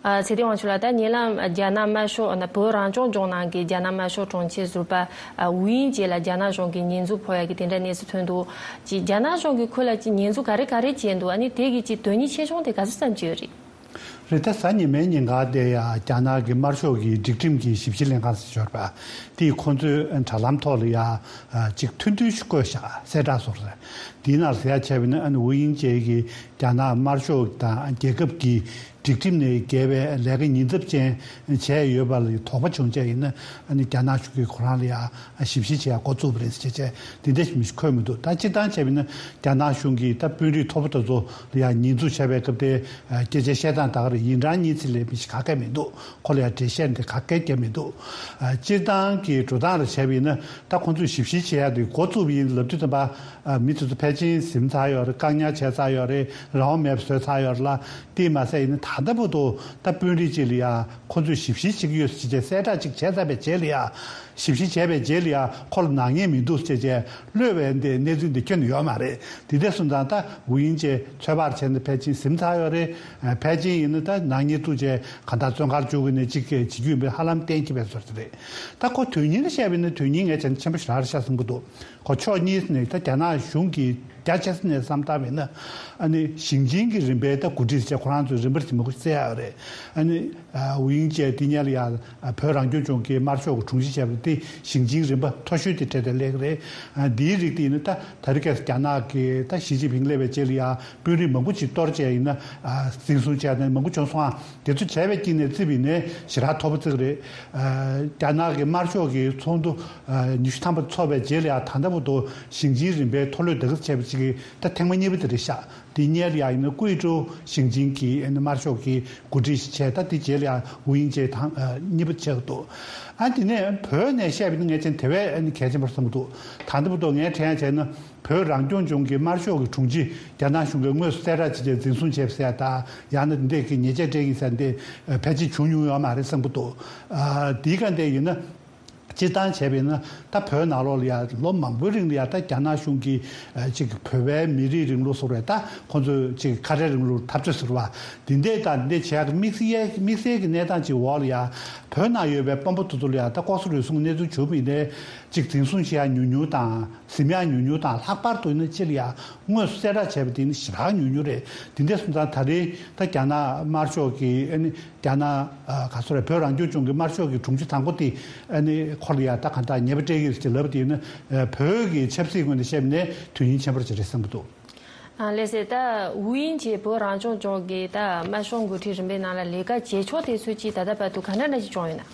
ཨ། ཚེ་བརྟན་དབང་ཕྱུག་ལགས། ད་ཉེ་ལམ་རྒྱ་ནག་དམར་ཤོག་ན་བོད་རང་སྐྱོང་ལྗོངས་ནང་གི་རྒྱ་ནག་དམར་ཤོག་གྲོང་ཁྱེར་ཟུར་པ། ཨ། ཝུའུ་དབྱིང་ཅེ་ལ་རྒྱ་ནག་གཞུང་གིས་ཉེས་འཛུགས་ཕོག་ཡག་གི་དེ་འདྲ་གནས་ཚུལ་ཐོན་འདུག་ཅིག་རྒྱ་ནག་གཞུང་གིས་ཁོ་ལ་ཅིག་ཉེས་འཛུགས་ག་རེ་ག་རེ་བྱས་འདུག་ཨ་ནི་དེ་གི་ཅིག་དོན་སྙིང་ཆེ་ཆུང་དེ་ག་ཚོད་ཙམ་ཅིག་ཡོད་རེད། རེད། ད་གཟའ་ཉི་མའི་ཉིན་ག་དེ་ཡ་རྒྱ་ནག་གི་དམར་ཤོག་གི་སྒྲིག་ཁྲིམས་ཀྱི་ཞིབ་བཤེར་ལྷན་ཁང་ཟེར་ཡོད་རེད་པ། དེས་ཁོང་ཚོའི་དྲ་ལམ་ཐོག་ལ་ཡ་ཅིག་ཐུང་ཐུང་ཞིག་བཀོད་བཞག་གསལ་བསྒྲགས་སོགས་རེད། དེའི་ནང་ཟེར་ཡ་བྱས་པ་ཡིན་ན། ཨ་ནི་ཝུའུ་དབྱིང་ཅེ་གིས་རྒྱ་ནག་དམར་ཤོག་དང་རྒྱལ་ཁབ་ཀྱི་སྒྲིག་ཁྲིམས་ནས་འགལ་བའི་ལས་ཀ་ཉེན་ཚབས་ཅན་བྱས་ཡོད་པ་ལ་དོགས་པ་བྱུང་བྱས་ཡིན་ན། ཨ་ནི་རྒྱ་ནག་གཞུང་གིས་ཁོ་རང་ལ་ཡ་ཞིབ་བཤེར་བྱེད་ཡ་འགོ་བཙུགས་པ་རེད་ཟེར་བྱས་བྱས་དེ་འདྲ་ཞིག་མི་ཞིག་འཁོད་མི་འདུག་ད་སྤྱིར་བཏང་བྱས་པ་ཡིན་ན་རྒྱ་ནག་གཞུང་གིས་ད་དཔོན་རིགས་མཐོ་པོ་དེ་ཚོ་ལ་ཡ་ཉེས་འཛུགས་བྱས་པའི་སྐབས་དེ་སྐད་ཆ་བཤད་སྟངས་ད་ག་རེ་ཡིན། རང་ཉིད་ཚེ་ལས་མི་ཞིག་ག་གེ་མི་འདུག་ཁོ་ལ་ཡ་འགྲེལ་བཤད་འདི་ག་གེ་བརྒྱབ་མི་འདུག་ཨ། སྤྱིར་བཏང་གི་འགྲོ་སྟངས་ལ་བྱས་པ་ཡིན་ན། ད་ཁོང་ཚོས་ཞིབ་བཤེར་བྱེད་ཡ་དེ་འགོ་བཙུགས་པ་ཡིན་ལབ་དུས་ཙམ་པ། ཨ། མི་དེ་ཚོ་ཕལ་ཆེར་ཟིན་ཚར་ཡོད་རེད། བཀག་ཉར་བྱས་ཚར་ཡོད་རེད། རང་དབང་མེད་པ་བཟོས་ཚར་ཡོད་རེད་ལ། དེས་མ་ཟད་ཡིན་ན་ད་ལྟ་བར་དུ་ད་དཔོན་རིགས་གཅིག་ལ་ཡ་ཁོང་ཚོས་ཞིབ་བཤེར་བྱེད་ཀྱི་ཡོད་ཟེར་བྱས་གསལ་བསྒྲགས་ཅིག་བྱས་ཚར་བའི་རྗེས་ལ་ཡ། ཞིབ་བཤེར་བྱས་པའི་རྗེས་ལ་ཡ་ཁོ་ལ་ནག་ཉེས་མི་འདུག་ཟེར་བྱས་གློད་པའི་འདི་གནས་ཚུལ་འདི་ཁྱོན་ནས་ཡོད་མ་རེད། དེ་འདྲ་སོང་ཙང་ད་ཝུའུ་དབྱིང་ཅེ་ཚོད་དཔག་བྱས་ན་ཕལ་ཆེར་ཟིན་ཚར་ཡོད་རེད། ཨ། ཕལ་ཆེར་ཡིན་ན་ད་ནག་ཉེས་བཙུགས་བྱས་གང་ལྟར་བཙོན་ཁང་བཅུག་གི་ནས་གཅིག་བྱེད་རྒྱུ་ཡིན་པའི་ཧ་ལམ་གཏན་འཁེལ་བའི་བཟོ་འདྲ་རེད། ད་ཁོ་དོན་སྙིང་ལ་བཤད་པ་ཡིན་ན་དོན་སྙིང་ངས་བྱས་ན་ཆེན་པོ་ཞེ་དྲག་རེད་ཤག་བསམ་གྱི་འདུག་ཁོ་ཕྱོགས་གཉིས་ནས་ད་རྒྱ་ནག་གཞུང་གི་རྒྱ་ཆེ་ས་ནས་བསམ་བཏང་བ་ཡིན་ན། ཨ་ནི་ཞིང་ཆེན་གྱི་རིམ་པའི་ད་འགོ་ཁྲིད་ཟེར་བྱས་ཁོ་རང་ཚོས་རིམ་པར་གྱིས་མང་པོ་བཙལ་ཡག་རེད། ཨ་ནི། ཨ། ཝུའུ་དབྱིང་ཅེ་དེ་སྔོན་ལ་ཡ་བོད་རང་སྐྱོང་ལྗོངས་ཀྱི་དམར་ཤོག་གི་དྲུང་ཆེ་བྱས་པ་དེ་ཞིང་ཆེན་རིམ་པ་མཐོ་ཤོས་དེ་གྲས་དེ་སླེབས་ཀྱི་རེད། ཨ། འདིའི་རིགས་དེ་ཡིན་ན་ད་ད་རེས་ཁ་སང་རྒྱ་ནག་གི་ད་ཞི་ཅིན་ཕིང་སླེབས་པའི་རྗེས་ལ་ཡ་དཔོན་རིགས་མང་པོ་ཅིག་གཏོར་བྱས་ཡིན་ན། ཨ། འཛིན་བཟུང་བྱས་ནས་མང་པོ་བྱུང་སོང་ཨ། དེ་ཚོ་བྱས་པའི་དཀྱིལ་ནས་བརྩིས་པ་ཡིན་ན་ཞེ་དྲག་མཐོ་པོ་བརྩི་གི་རེད། ཨ། རྒྱ་ནག་གི་དམར་ཤོག་གི་ཚོགས་འདུ་ཨ་ཉི་ཤུ་ཐམ་པ་ཚོགས་པའི་རྗེས་ལ་ཡ་ད་ལྟ་བར་དུ་ཞིང་ཆེན་རིམ་པའི་མཐོ་སློབ་དེ་ག་ཚོད་བྱས་པ་ཅིག་གི་ད་ཐེངས་མ་གཉིས་པ་དེ་རེད་ཤག་དེ་སྔོན་ལ་ཡ་ཡིན་ན་ཀུའེ་ཀྲོའུ་ཞིང་ཆེན་གྱི་ཨ་ནི་དམར་ཤོག་གི་འགོ་ཁྲིད་ཞིག་བྱས། ད་དེ་རྗེས་ལ་ཡ་ཝུའུ་དབྱིང་ཅེ་དང་ཨ་གཉིས་པ་བྱས་འདུག་ཨ། དེ་ནས་བོད་ནས་བཤད་པ་ཡིན་ན་ངས་བྱས་ན་དེ་བས་ཨ་ནི་གལ་ཆེན་པོ་རེད་བསམ་གྱི་འདུག་ད་ལྟ་བར་དུ་ངས་དྲན་ཡ་བྱས་ན་བོད་རང་སྐྱོང་ལྗོངས་ཀྱི་དམར་ཤོག་གི་དྲུང་ཆེ་རྒྱ་ནག་གཞུང་གིས་དངོས་སུ་གསལ་བསྒྲགས་བྱས་བྱས་འཛིན་བཟུང་བྱས་པ་ཟེར་ཡ་ད་ཡང་ན་འདི་གི་ཉེས་ཆད་སྤྲད་ཡིན་ཟེར་ཡ་འདི་ཕལ་ཆེར་བྱུང་མྱོང་ཡོད་མ་རེད་བསམ་གྱི་འདུག་ཨ། དེའི་སྒང་དེ་ཡིན་ན། སྤྱིར་བཏང་བྱས་པ་ཡིན་ན་ད་བོད་ནང་ལོགས་ལ་ཡ་ལོ་མང་པོའི་རིང་ལ་ཡ་ད་རྒྱ་ནག་གཞུང་གིས་ཨ་ཅིག་བོད་པའི་མི་རིགས་རིང་ལུགས་ཟེར་བ་རེད། ད་ཁོང་ཚོས་ཅིག་ཁ་བྲལ་རིང་ལུགས་འཐབ་རྩོད་ཟེར་བ་འདི་འདྲས་དང་འདི་འདྲས་བྱེད་ཡག་གི་དམིགས་བསལ་དམིགས་བསལ་གྱི་གནས་སྟངས་ཅིག་འོག་ལ་ཡ་བོད་ནང་ཡོད་པའི་དཔོན་པོ་དེ་ཚོ་ལ་ཡ་ད་ལྐོག་ཟ་རུལ་སུངས་གནས་ཚུལ་བྱུང་བ་ཡིན་ནའི་ཅིག་འཛིན་བཟུང་བྱེད་ཡག་ཉུང་ཉུང་དང་། ཟིན་ཡག་ཉུང་ཉུང་དང་། ལྷག་པར་དུ་ཡིན་ན་ཕྱི་ལ་ཡ་དངོས་སུ་གསལ་བསྒྲགས་བྱས་པ་དེ་ནི་ཞེ་དྲག་ཉུང་ཉུང་རེད། དེ་འདྲ་སོང་ཙང་ད་རེས་ད་རྒྱ་ནག་དམར་ཤོག་གི་ཨ་ནི་རྒྱ་ནག་ཨ་ག་ཚོད་རེད། བོད་རང་སྐྱོང་ལྗོངས་ཀྱི་དམར་ཤོག་གི་དྲུང་ཆེ་དང་པོ་དེ་ཨ་ནི་ཁོ་ལ་ཡ་ད་གང་ལྟར་ཉེས་པ་སྤྲད་ཀྱི་རེད་ཅེས་ལབ་པ་དེ་ཡིན་ན། ཨ་བོད་ཀྱི་ཆབ་སྲིད་ངོས་ནས་བཤད་པ་ཡིན་ན་དོན་སྙིང་ཆེན་པོ་ཅིག་རེད་བསམ་གྱི་འདུག་ཨ། ལགས་སེ། ད་ཝུའུ་དབྱིང་ཅེ་བོད་རང་སྐྱོང་ལྗོངས་ཀྱི་ད་དམར་ཤོག་འགོ་ཁྲིད་རིམ་པའི་ནང་ལ་ལས་ཀ་བྱེད་ཕྱོགས་དེ་ཚོ་ཅིག་ད་ལྟ་བར་དུ་ག་འདྲ་འདྲ་ཞིག་བྱུང་ཡོད་ན།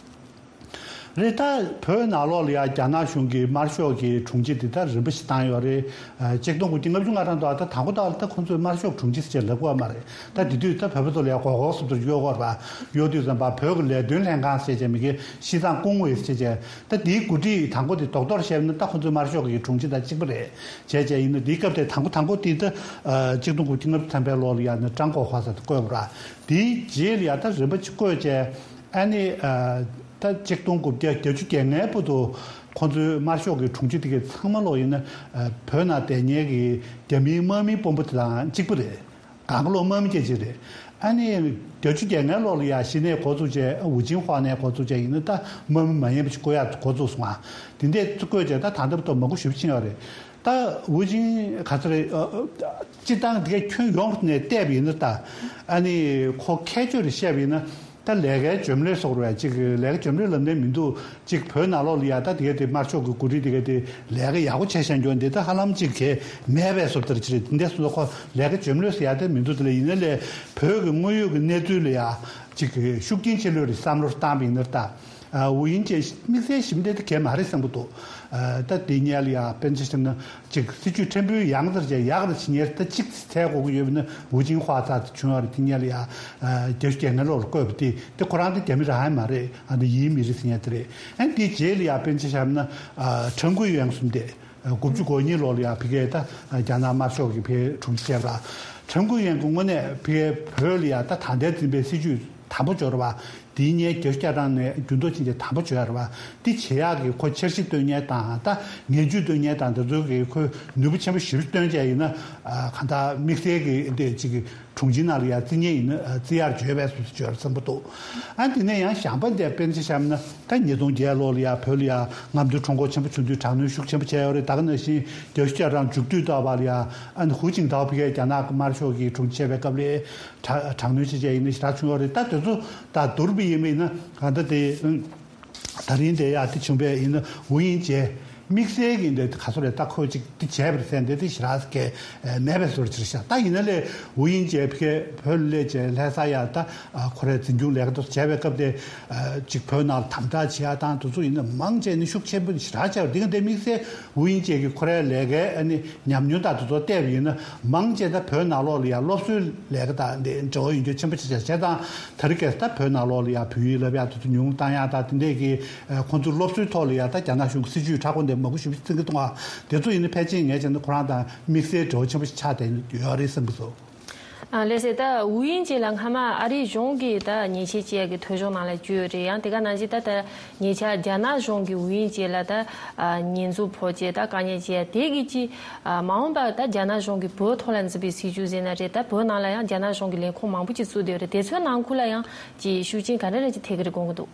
རེད། ད་བོད་ནང་ལོགས་ལ་ཡ་རྒྱ་ནག་གཞུང་གིས་དམར་ཤོག་གི་དྲུང་ཆེ་དེ་ད་རིམ་པ་ཞིག་བཏང་ཡོད་རེད། ཨ། ཆིག་སྟོང་དགུ་བརྒྱ་ལྔ་བཅུ་ང་གྲངས་དུ་ད་དང་པོ་དག་ལ་ད་ཁོང་ཚོས་དམར་ཤོག་དྲུང་ཆེ་ཟེར་བྱས་ལབ་ཀྱི་ཡོད་མ་རེད། ད་དེ་དུས་ད་བོད་པ་ཚོ་ལ་ཡ་མགོ་སྐོར་བཟོ་འདྲ་གཡོག་གོ་ར་གཡོག་དུས་ཙམ་པ་བོད་ཀྱི་ལས་དོན་ལྷན་ཁང་ཟེར་བྱས་མི་གི་ཤི་ཙང་ཀུང་ཝེ་ཟེར་བྱས། ད་དེའི་འགོ་ཁྲིད་དང་པོ་དེ་རྡོག་རྡོག་བཤད་ན་ད་ཁོང་ཚོའི་དམར་ཤོག་གི་དྲུང་ཆེ་དང་གཅིག་པ་རེད། བྱས་བྱས་ཡིན་ན་དེའི་སྐབས་དེ་དང་པོ་དང་པོ་དེ་ད་ཨ་ཆིག་སྟོང་དགུ་བརྒྱ་ལྔ་བཅུ་ཐམ་པའི་ལོ་ལ་ཡ་ནི་ཀྲང་གོ་ཧྭ་ཟེར་དེ་བསྐོས་པ་ར། དེའི་རྗེས་ལ་ཡ་ད་རིམ་པ་གཅིག་བསྐོས་བྱས། ཨ་ནི་ཨ། ད་ གཅིག་སྟོང་དགུ་བརྒྱ་བརྒྱད་ཅུ་གྱ་ལྔའི་བར་དུ་ཁོང་ཚོའི་དམར་ཤོག་གི་དྲུང་ཆེ་དེ་གའི་ཚང་མ་ལོག་ཡིན་ན། ཨ། བོད་ནང་བསྡད་མཁན་གྱི་རྒྱ་མིའི་དམག་མིའི་དཔོན་པོ་དེ་དང་གཅིག་པ་རེད། གང་ག་ལོག་དམག་མི་སྐད་ཆ་རེད། ཨ་ནི་བརྒྱད་ཅུ་གྱ་ལྔའི་ལོག་ལ་ཡ་གཞི་ནས་འགོ་བཙུགས་བྱས། ཨ། ཝུ་ཅིན་ཧྭ་ནས་འགོ་བཙུགས་བྱས་ཡིན་ན་ད་དམག་མི་མ་ཡིན་པ་ཞིག་བསྐོ་ཡག་འགོ་བཙུགས་སོང་ང་། དེ་འདྲས་བསྐོས་བྱས་ད་ད་ལྟ་བར་དུ་མང་པོ་ཞེ་པོ་ཕྱིན་ཡོད་རེད། ད་ཝུ་ཅིན་ག་ཚོད་རེད། ཨ། ཨ། སྤྱིར་བཏང་དེ་གའི་ཁྱོན་ཡོངས་ནས་བལྟས་པ་ཡིན་ན། ད་ཨ་ནི་ཁོ་ཁྱད་ཆོས་རེ་བཤད་པ་ཡིན་ན། ད་ལས་ཀའི་འཇོན་མི་ལས་སོགས་རེད། ཅིག་ལས་ཀ་འཇོན་མི་ལས་ལབ་ནས་མི་འདུག་ཅིག་བོད་ནང་ལོགས་ལ་ཡ་ད་དེ་ག་དེ་དམར་ཤོག་གི་འགོ་ཁྲིད་དེ་ག་དེ་ལས་ཀ་ཡག་པོ་བྱས་བཞག་རྒྱུ་འདི་ད་ཧ་ལམ་ཅིག་གས་མེད་པའི་བཟོ་ལྟར་ཅིག་རེད། འདི་འདྲ་སོང་ཙང་ཁོ་ལས་ཀ་འཇོན་མི་ལས་ཟེར་ཡ་དེ་མི་འདུག་དེ་ལ་ཡིན་ན་ལས་བོད་ཀྱི་དངོས་ཡོད་ཀྱི་གནས་ཚུལ་ལ་ཡ་ཅིག་ཤུགས་རྐྱེན་ཆེ་ལོས་རེད་བསམ་བློ་བཏང་བ་ཡིན་ན། ད་ཝུ་ཡིན་ཅེ་དམིགས་བསལ་ཞིབ་འདྲ་དེ་གས་མ་རེད་བསམ་གྱི་འདུག་ཨ། ད་དེ་སྔོན་ལ་ཡ་དཔེར་ཆ་བཞག་ན། ཅིག་སྲིད་ཇུས་ཕྲན་བུ་ཡང་དེར་བྱས་ཡག་དེར་བྱེད་མཁན་ད་ཅིག་ཚད་དགོས་ཀྱི་ཡོད་པ་ན། ཝུ་ཅིན་ཧྭ་ཙག་ཙིག་བྱུང་བ་རེད། དེ་སྔོན་ལ་ཡ། ཨ། བརྒྱད་ཅུ་གྱ་ལྔ་ལོར་བསྐོས་པ་དེ་དེ་ཁོ་རང་དེ་རྒྱ་མི་རང་ཡང་མ་རེད། ཨ། འདི་ཡིན་མི་རེད་ཟེར་མཁན་དེ་རེད། ཨ། དེ་རྗེས་ལ་ཡ་དཔེར་ཆ་བཞག་ན། ཨ། ཁྲང་ཀུའེ་ཡོན་གསུམ་དེ། ཨ། དགུ་བཅུ་གོ་གཉིས་ལོ་ལ་ཡ་ཕ་གིའི་ད་རྒྱ་ནག་དམར་ཤོག་གི་ཕའི་དྲུང་ཆེ་བྱས་པ། ཁྲང་ཀུའེ་ཡོན་གྱི་དངོས་གནས་ཕ་གིའི་བོད་ལ་ཡ་ད་ད་ལྟའི་འཛིན་པའི་སྲིད་ཇུས་དམ་པོ་འཇོག་རེད་པ། དེའི་སྔོན་བརྒྱད་ཅུ་གྱ་གྲངས་ནས་འགྱུར་ལྡོག་ཕྱིན་རྗེས་དམ་པོ་བྱས་ཡོད་རེད་པ། འདི་བྱེད་ཡག་གི་ཁོ་འཆར་གཞི་བཏོན་མཁན་དང་། ད་ངན་ཇུས་བཏོན་མཁན་དང་འདི་ཚོའི་གི་ཁོས་ནུས་པ་ཆེན་པོ་ཞེ་པོ་བཏོན་བྱས་ཡིན་ན། ཨ། གང་ལྟར་དམིགས་བསལ་གྱི་འདི་ཅིག་གི་དྲུང་ཆེའི་ནང་ལ་ཡ་བརྩི་མཁན་ཡིན་ན། ཨ། བརྩི་ཡག་བྱས་པའི་བཟོ་འདྲ་ཅིག་ཡོད་རེད་བསམ་གྱི་འདུག་ཨ། དེ་ནས་ཡང་གཞན་པ་འདི་དཔེར་ཆ་བཞག་ན། ད་ཉིས་སྟོང་བརྒྱད་ལོ་ལ་ཡ་བོད་ལ་ཡ་རྔམ་སྟོན་ཁྲོམ་སྐོར་ཆེན་པོ་བྱུང་དུས་དྲག་གནོན་ཤུགས་ཆེན་པོ་བྱས་ཡོད་རེད། ད་ག་ནང་བཞིན་བརྒྱད་ཅུ་གྱ་གྲངས་མཇུག་སྡུད་ཐོག་པ་ལ་ཡ། ཨ་ནི་ཧུའུ་ཅིན་ཐའོ་ཕ་གིའི་རྒྱ་ནག་གི་དམར་ཤོག་གི་དྲུང་ཆེ་བྱས་པའི་སྐབས་ལ་དྲག་དྲག་གནོན་བྱས་བྱས་ཡིན་ན་ཞེ་དྲག་བྱུང་ཡོད་རེད། ད་དེ་ཚོ་ད་བསྡུར་བ་ཡིན་པ་ཡིན་ན། གང་ལྟར་དེ་ད་རིང་དེ་ཡ་དེ་བྱུང་བ་ཡིན་ན། ཝུ་ཡིན་ཅེ་དམིགས་བསལ་གྱི་འདི་ག་ཚོད་རེད། ད་ཁོས་ཅིག་དེ་བྱས་པ་རེད་ཟེར་འདི་དེ་ཞེ་དྲག་གས་མེད་པའི་བཟོ་འདྲ་ཅིག་རེད་ཤག་ད་ཡིན་ན་ལས་ཝུ་ཡིན་ཅེ་ཕ་གིར་བོད་ལ་སླེབས་བྱས་ལྷ་ས་ཡ་ད། ཨ། ཁོ་རའི་འཛིན་སྐྱོང་ལས་ཀ་དེ་ཚོ་བྱས་པའི་སྐབས་དེ། ཨ། ཅིག་བོད་ནང་ལ་དམ་དྲག་བྱེད་ཡ་དང་དེ་ཚོ་ཡིན་ན་མང་ཆེ་ནི་ཤུགས་ཆེན་པོ་ཞེ་དྲག་བྱས་པ་རེད། འདི་ག་འདི་དམིགས་བསལ་ཝུ་ཡིན་ཅེ་གི་ཁོ་རའི་ལས་ཀའི། ཨ་ནི་ཉམས་མྱོང་དང་དེ་ཚོ་བལྟས་པ་ཡིན་ན། མང་ཆེ་ད་བོད་ནང་ལོགས་ལ་ཡ་སློབ་གསོའི་ལས་ཀ་དང་འདི་འབྲེལ་བ་ཡོད་རྒྱུ་ཆེན་པོ་ཆགས་བྱས། བྱས་ཙང་དེ་རིང་ཁ་སང་ད་བོད་ནང་ལོགས་ལ་ཡ་བོད་ཡིག་བསླབ་ཡག་དེ་ཚོ་ཉུང་བཏང་ཡག་དང་དེ་འདྲས་ཀྱི། ཨ། ཁོང་ཚོའི་སློབ་གསོའི་ཐོག་ལ་ཡ་ད་རྒྱ་ནག་གཞུང་གི་སྲིད་ཇུས་མཁྲེགས་པོ་འདི་མང་པོ་ཞེ་པོ་ཅིག་བརྩི་གི་འདུག་ཨ། དེ་ཚོ་ཡིན་ན་ཕལ་ཆེར་ངས་བྱས་ན་ཁོ་རང་དང་དམིགས་བསལ་འབྲེལ་བ་ཆེན་པོ་ཞིག་ཆགས་བསྡད་ཡོད་རེད་བསམ་གྱི་འདུག་ཨ། ལགས་སེ། ད་ཝུ་ཡིན་ཅེ་ལགས་སྔ་མ་ཨ་རིའི་གཞུང་གིས་ད་ཉེས་ཆད་བཅད་ཀྱི་ཐོ་གཞུང་ནང་ལ་བཅུག་ཡོད་རེད། ཡང་དེ་ག་ནང་བཞིན་ད་ད་ཉེ་ཆར་རྒྱ་ནག་གཞུང་གིས་ཝུ་ཡིན་ཅེ་ལ་ད། ཨ། ཉེས་འཛུགས་ཕོག་བྱས་ད་དཀའ་ངལ་བྱས་དེ་གི་ཅི། ཨ། མ་འོངས་པར་ད་རྒྱ་ནག་གཞུང་གིས་བོད་ཐོག་ལ་འཛིན་པའི་སྲིད་ཇུས་ཟེར་ན་རེད། ད་བོད་ནང་ལ་ཡང་རྒྱ་ནག་གཞུང་གི་ལས་ཁུངས་མང་པོ་ཅིག་བཙུགས་བསྡད་ཡོད་རེད། དེ་ཚོའི་ནང་ཁུལ་ལ་ཡང་ཅི་ཤུགས་རྐྱེན་ག་འདྲ་རེ་ཅིག་ཐེབས་ཀྱི་རེད་དགོངས་ཀྱི་འདུག་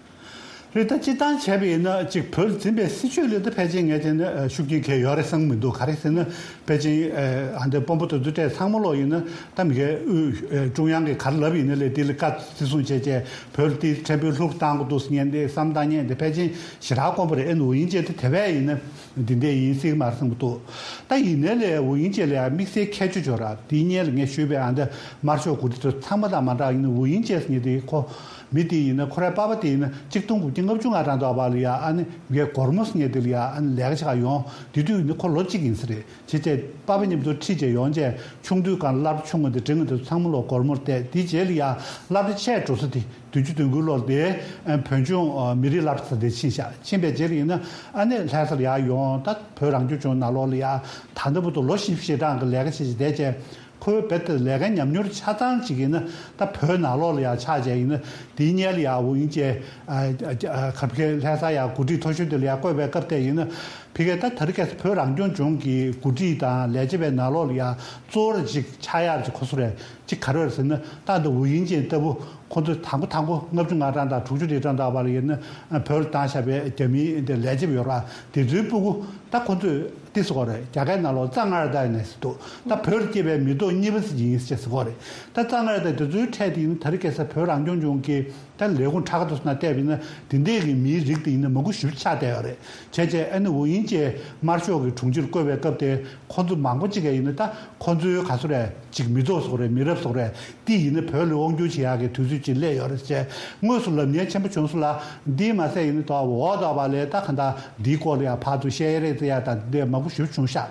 རེད། ད་སྤྱིར་བཏང་བྱས་པ་ཡིན་ན་ཅིག་བོད་འཛིན་པའི་སྲིད་ཇུས་ལ་ད་ཕལ་ཆེར་ངས་བྱས་ན་ཤུགས་རྐྱེན་གང་ཡང་ཡོད་རེད་བསམ་གྱི་མི་འདུག་ག་རེ་ཟེར་ན། ཕལ་ཆེར། ཨ། འདི་དཔོན་པོ་དེ་ཚོ་གྲས་ཚང་མ་ལོག་ཡིན་ན་ད་མི་སྒེར་དབུས། ཨ། ཀྲུང་དབྱང་གིས་ག་རེ་ལབ་ཡིན་ན་ལས་དེ་ལ་བཀའ་བརྩི་སྲུང་བྱས་བྱས། བོད་ལ་དེ་ཕྲན་བུ་ལྷུག་བཏང་དགོས་འདུག་ཟེར་མཁན་དེ་བསམ་བཏང་མཁན་དེ་ཕལ་ཆེར་ཞེ་དྲག་དཀོན་པོ་རེད། ཨ་ནི་ཝུ་ཡིན་ཅེ་དེ་དེ་བས་ཡིན་ན་འདི་འདྲས་ཡིན་སྲིད་ཀྱི་མ་རེད་བསམ་གྱི་འདུག་ད་ཡིན་ནའི་ལས་ཝུ་ཡིན་ཅེ་ལ་ཡང་དམིགས་བསལ་ཁྱད་ཆོས་ཅིག་ཡོད་རེད། དེ་སྔོན་ལ་ངས་ཞུས་པའི། ཨ། འདི་དམར་ཤོག་འགོ་ཁྲིད་དེ་ཚང་མ་དང་མ་འདྲ་བ་ཡིན་ན། ཝུ་ཡིན་ཅེ་ཟེར་མཁན་དེ་ཁོ་མི་དེ་ཡིན་ན། ཁོ་རའི་པ་ཕ་དེ་ཡིན་ན་གཅིག་སྟོང་དགུ་བརྒྱ་ལྔ་བཅུ་ང་གྲངས་ཐོག་པ་ལ་ཡ། ཨ་ནི་ངའི་སྒོར་མོ་ཟེར་མཁན་དེ་ལ་ཡ། ཨ་ནི་ལས་ཀ་བྱེད་ག་ཡོང་། དེ་དུས་ཡིན་ན་ཁོ་ལོ་གཅིག་ཡིན་ས་རེད། བྱས་བྱས་པ་ཕ་མཉམ་དུ་ཁྲིད་བྱས་ཡོང་བྱས། ཆུང་དུས་སྒང་སློབ་གྲྭ་ཆུང་ངུ་དེ་འབྲིང་ངུ་དེ་ཚང་མ་ལོག་སྒོར་མོར་བལྟས། དེའི་རྗེས་ལ་ཡ་སློབ་གྲྭ་ཆེ་འགྲོ་ས་དེ་བདུན་ཅུ་དོན་དགུ་ལོར་དེ། ཨ། བོད་ལྗོངས། ཨ། མི་རིགས་སློབ་གྲྭ་དེ་ཕྱིན་ཤག་ཕྱིན་པའི་རྗེས་ལ་ཡིན་ན། ཨ་ནི་ལྷ་སར་ཡར་ཡོང་། ད་བོད་རང་སྐྱོང་ལྗོངས་ནང་ལོགས་ལ་ཡ་ད་ལྟ་བར་དུ་ལོ་བཞི་བཅུ་ཞེ་གྲངས་ཀྱི་ལས་ཀ་བྱས་བྱས་བསྡད་བྱས། ཁོའི་རྦད་དེ་ལས་ཀའི་ཉམས་མྱོང་ཆ་ཚང་ཅིག་ཡིན་ན་ད་བོད་ནང་ལོགས་ལ་ཡ་ཆགས་བྱས་ཡིན་ན། དེའི་སྔོན་ལ་ཡ་ཝུ་ཡིན་ཅེ། ཨ། ཨ། ཨ། ཕ་གིའི་ལྷ་ས་ཡ་འགོ་ཁྲིད་མཐོ་ཤོས་དེ་ལ་ཡ་བསྐོས་པའི་སྐབས་དེ་ཡིན་ན། ཕ་གིའི་ད་དེ་རིང་ཁ་སང་བོད་རང་སྐྱོང་ལྗོངས་ཀྱི་འགོ་ཁྲིད་དང་ལས་བྱེད་པའི་ནང་ལོགས་ལ་ཡ་གཙོ་བོ་ཅིག་ཆགས་ཡག་ཅིག་ཁོ་ཚོ་རེད། ཅིག་ག་རེ་རེད་ཟེར་ན། ད་འདི་ཝུ་ཡིན་ཅེ་ལྟ་བུ་ཁོ་ཚོ་དང་པོ་དང་པོ་ལྔ་བཅུ་ང་གྲངས་དང་དྲུག་ཅུ་རེ་གྲངས་དག་པ་ལ་ཡིན་ན། ཨ། བོད་ལ་བཏང་བཞག་པའི་རྒྱ་མིའི་འདི་ལས་བྱེད་པ་ཡོད་རེད་པ། དེ་ཚོའི་སྤུ་གུ་ད་ཁོ་ཚོས་འདི་ཟེར་གྱི་ཡོད་རེད། རྒྱ་སྐད་ནང་ལོགས་ཙ་ངར་ཏ་ནས་ཟེར་འདུག་ད་བོད་ལ་སྐྱེས་པའི་མི་ཐོག་གཉིས་པ་ཟིག་ཡིན་ཟེར་ཟེར་གྱི་ཡོད་རེད། ད་ཙ་ངར་ཏ་དེ་ཚོའི་གྲས་དེ་ཡིན་ན་དེ་རིང་ཁ་སང་བོད་རང་སྐྱོང་ལྗོངས་ཀྱི་ད་ལས་ཁུངས་ཁྲ་ཁ་དེ་ཚོ་ནང་བལྟས་པ་ཡིན་ན། དེ་འདྲས་ཀྱི་མིའི་རིགས་དེ་ཡིན་ན་མང་པོ་ཞེ་པོ་ཆགས་བསྡད་ཡོད་རེད། བྱས་བྱས་ཨ་ནི་ཝུ་ཡིན་ཅེ་དམར་ཤོག་གི་དྲུང་ཆེར་བསྐོས་པའི་སྐབས་དེ། ཁོ་ཚོ་མང་པོ་ཅིག་ག་ཡིན་ན་ད་ཁོ་ཚོའི་ག་ཚོད་རེད། ཅིག་མི་ཐོག་ཟེར་གྱི་ཡོད་རེད། མི་རབས་ཟེར་གྱི་ཡོད་རེད། དེ་ཡིན་ན་བོད་ལ་དབང་སྒྱུར་བྱེད་ཡག་གི་དུས་ཚོད་ཅིག་སླེབས་ཡོད་རེད་ཟེར། དངོས་སུ་ལབ་མཁན་ཆེན་པོ་བྱུང་སོང་ལ། འདི་མ་ཟད་ཡིན་ན་ད་འོག་ཐོག་པ་ལ་ད་གང་ལྟར་འདིའི་སྐོར་ལ་ཡང་ཕར་ཚུར་བཤད་རེས་ཟེར་ཡག་དང་འདི་མང་པོ་ཞེ་པོ་བྱུང་ཤག་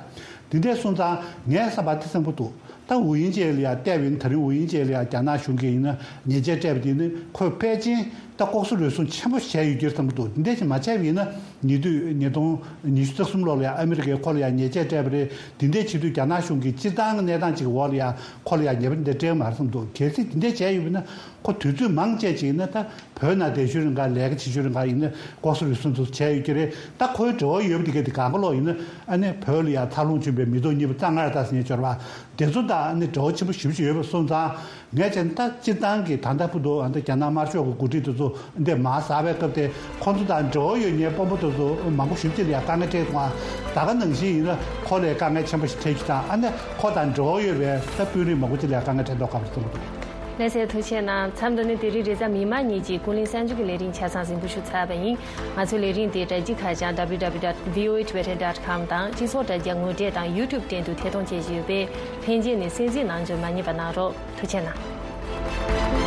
དེ་འདྲས་སོང་ཙང་ངས་བསམ་པ་དེ་བསམ་གྱི་འདུག་ད་ཝུ་དབྱིང་ཅེ་ལ་ཡ་བལྟས་པ་ཡིན་ན། ད་རིང་ཝུ་དབྱིང་ཅེ་ལ་ཡ་རྒྱ་ནག་གཞུང་གིས་ཡིན་ན་ཉེས་ཆད་སྤྲད་པ་དེ་ནི་ཁོས་ཕལ་ཆེར་ད་ལྐོག་ཟ་རུལ་སུངས་ཆེན་པོ་བྱས་ཡོད་ཀྱི་རེད་བསམ་གྱི་འདུག་དེ་འདྲ་ཞིག་མ་བྱས་པ་ཡིན་ན། ཉེ་དུས་ཉིས་སྟོང་ཉི་ཤུ་རྩ་གསུམ་ལོ་ལ་ཡ་ཨ་མི་རི་ཀས་ཁོ་ལ་ཡ་ཉེས་ཆད་སྤྲད་པ་རེད། དེ་འདྲའི་བྱེད་དུས་རྒྱ་ནག་གཞུང་གིས་སྤྱིར་བཏང་གི་གནས་སྟངས་ཅིག་གི་འོག་ལ་ཡ་ཁོ་ལ་ཡ་ཉེས་པ་འདི་འདྲ་སྤྲད་ཀྱི་མ་རེད་བསམ་གྱི་འདུག་གལ་སྲིད་དེ་འདྲ་བྱས་ཡོད་པ་ཡིན་ན། ཁོ་དུས་ཚོད་མང་ཆེ་ཅིག་ཡིན་ན། ད་བོད་ནང་བསྡད་ཤུལ་རིང་ག་ལས་ཀ་བྱེད་ཤུལ་རིང་ག་ཡིན་ན་ལྐོག་ཟ་རུལ་སུངས་དེ་ཚོ་བྱས་ཡོད་ཀྱི་རེད། ད་ཁོའི་འབྲེལ་བ་ཡོད་པ་དེ་ག་དེ་གང་ག་ལོག་ཡིན་ན། ཨ་ནི་བོད་ལ་ཡ་འཚར་ལོངས་བྱུང་བའི་མི་ཐོག་གཉིས་པ་གཙང་ངར་ལྟ་ཟེར་མཁན་འབྱོར་བ་དེ་ཚོ་དང་ཨ་ནི་འབྲེལ་བ་ཆེན་པོ་ཞེ་པོ་ཅིག་ཡོད་པ་སོང་ཙང་། ངས་བྱས་ན་ད་སྤྱིར་བཏང་གི་ད་ལྟ་བར་དུ་ཨ་ནི་རྒྱ་ནག་དམར་ཤོག་གི་འགོ་ཁྲིད་དེ་ཚོ་འདི་མར་ཟགས་པའི་སྐབས་དེ། ཁོ་ཚོ་དང་འབྲེལ་བ་ཡོད་མཁན་དཔོན་པོ་དེ་ཚོ་མང་པོ་ཞེ་པོ་ཅིག་ལ་ཡ་དཀའ་ངལ་འཕྲད་འདུག་ད་ག་ནང་བཞིན་ཡིན་ན་ཁོ་ལ་ཡ་དཀའ་ངལ་ཆེན་པོ་ཞིག་འཕྲད་རྒྱུ་དང་། ཨ་ནི་ཁོ་དང་འབྲེལ་བ་ཡོད་པའི་ད་དཔོན་རིགས་མང་པོ་ཅིག་ལ་ཡ་དཀའ་ངལ་འཕྲད་མདོག་ཁ་པོ་ཞིག་མཐོང་གི་འདུག་ལགས་སོ། ཐུགས་རྗེ་གནང་། མཚམས་འདི་ནས་དེ་རིང་རེས་གཟའ་མིག་དམར་ཉིན་གྱི་ཀུན་གླེང་གསར་འགྱུར་གྱི་ལས་རིམ་ཆ་ཚང་གཟིགས་འབུལ་ཞུ་ཚར་བ་ཡིན། ང་ཚོའི་ལས་རིམ་དེ་དྲ་རྒྱའི་ཁ་བྱང་W W W dot V O A Tibetan dot com དང་། སྤྱི་ཚོགས་དྲ་རྒྱ་ངོ་འཕྲད་དང་YouTube སྟེང་དུ་ཐད་གཏོང་བྱེད་བཞིན་ཡོད་པས། ལྷན་རྒྱས་ནས་གསན་གཟིགས་གནང་རྒྱུ་མ་བསྙེལ་བ་གནང་རོགས། ཐུགས་རྗེ་གནང་།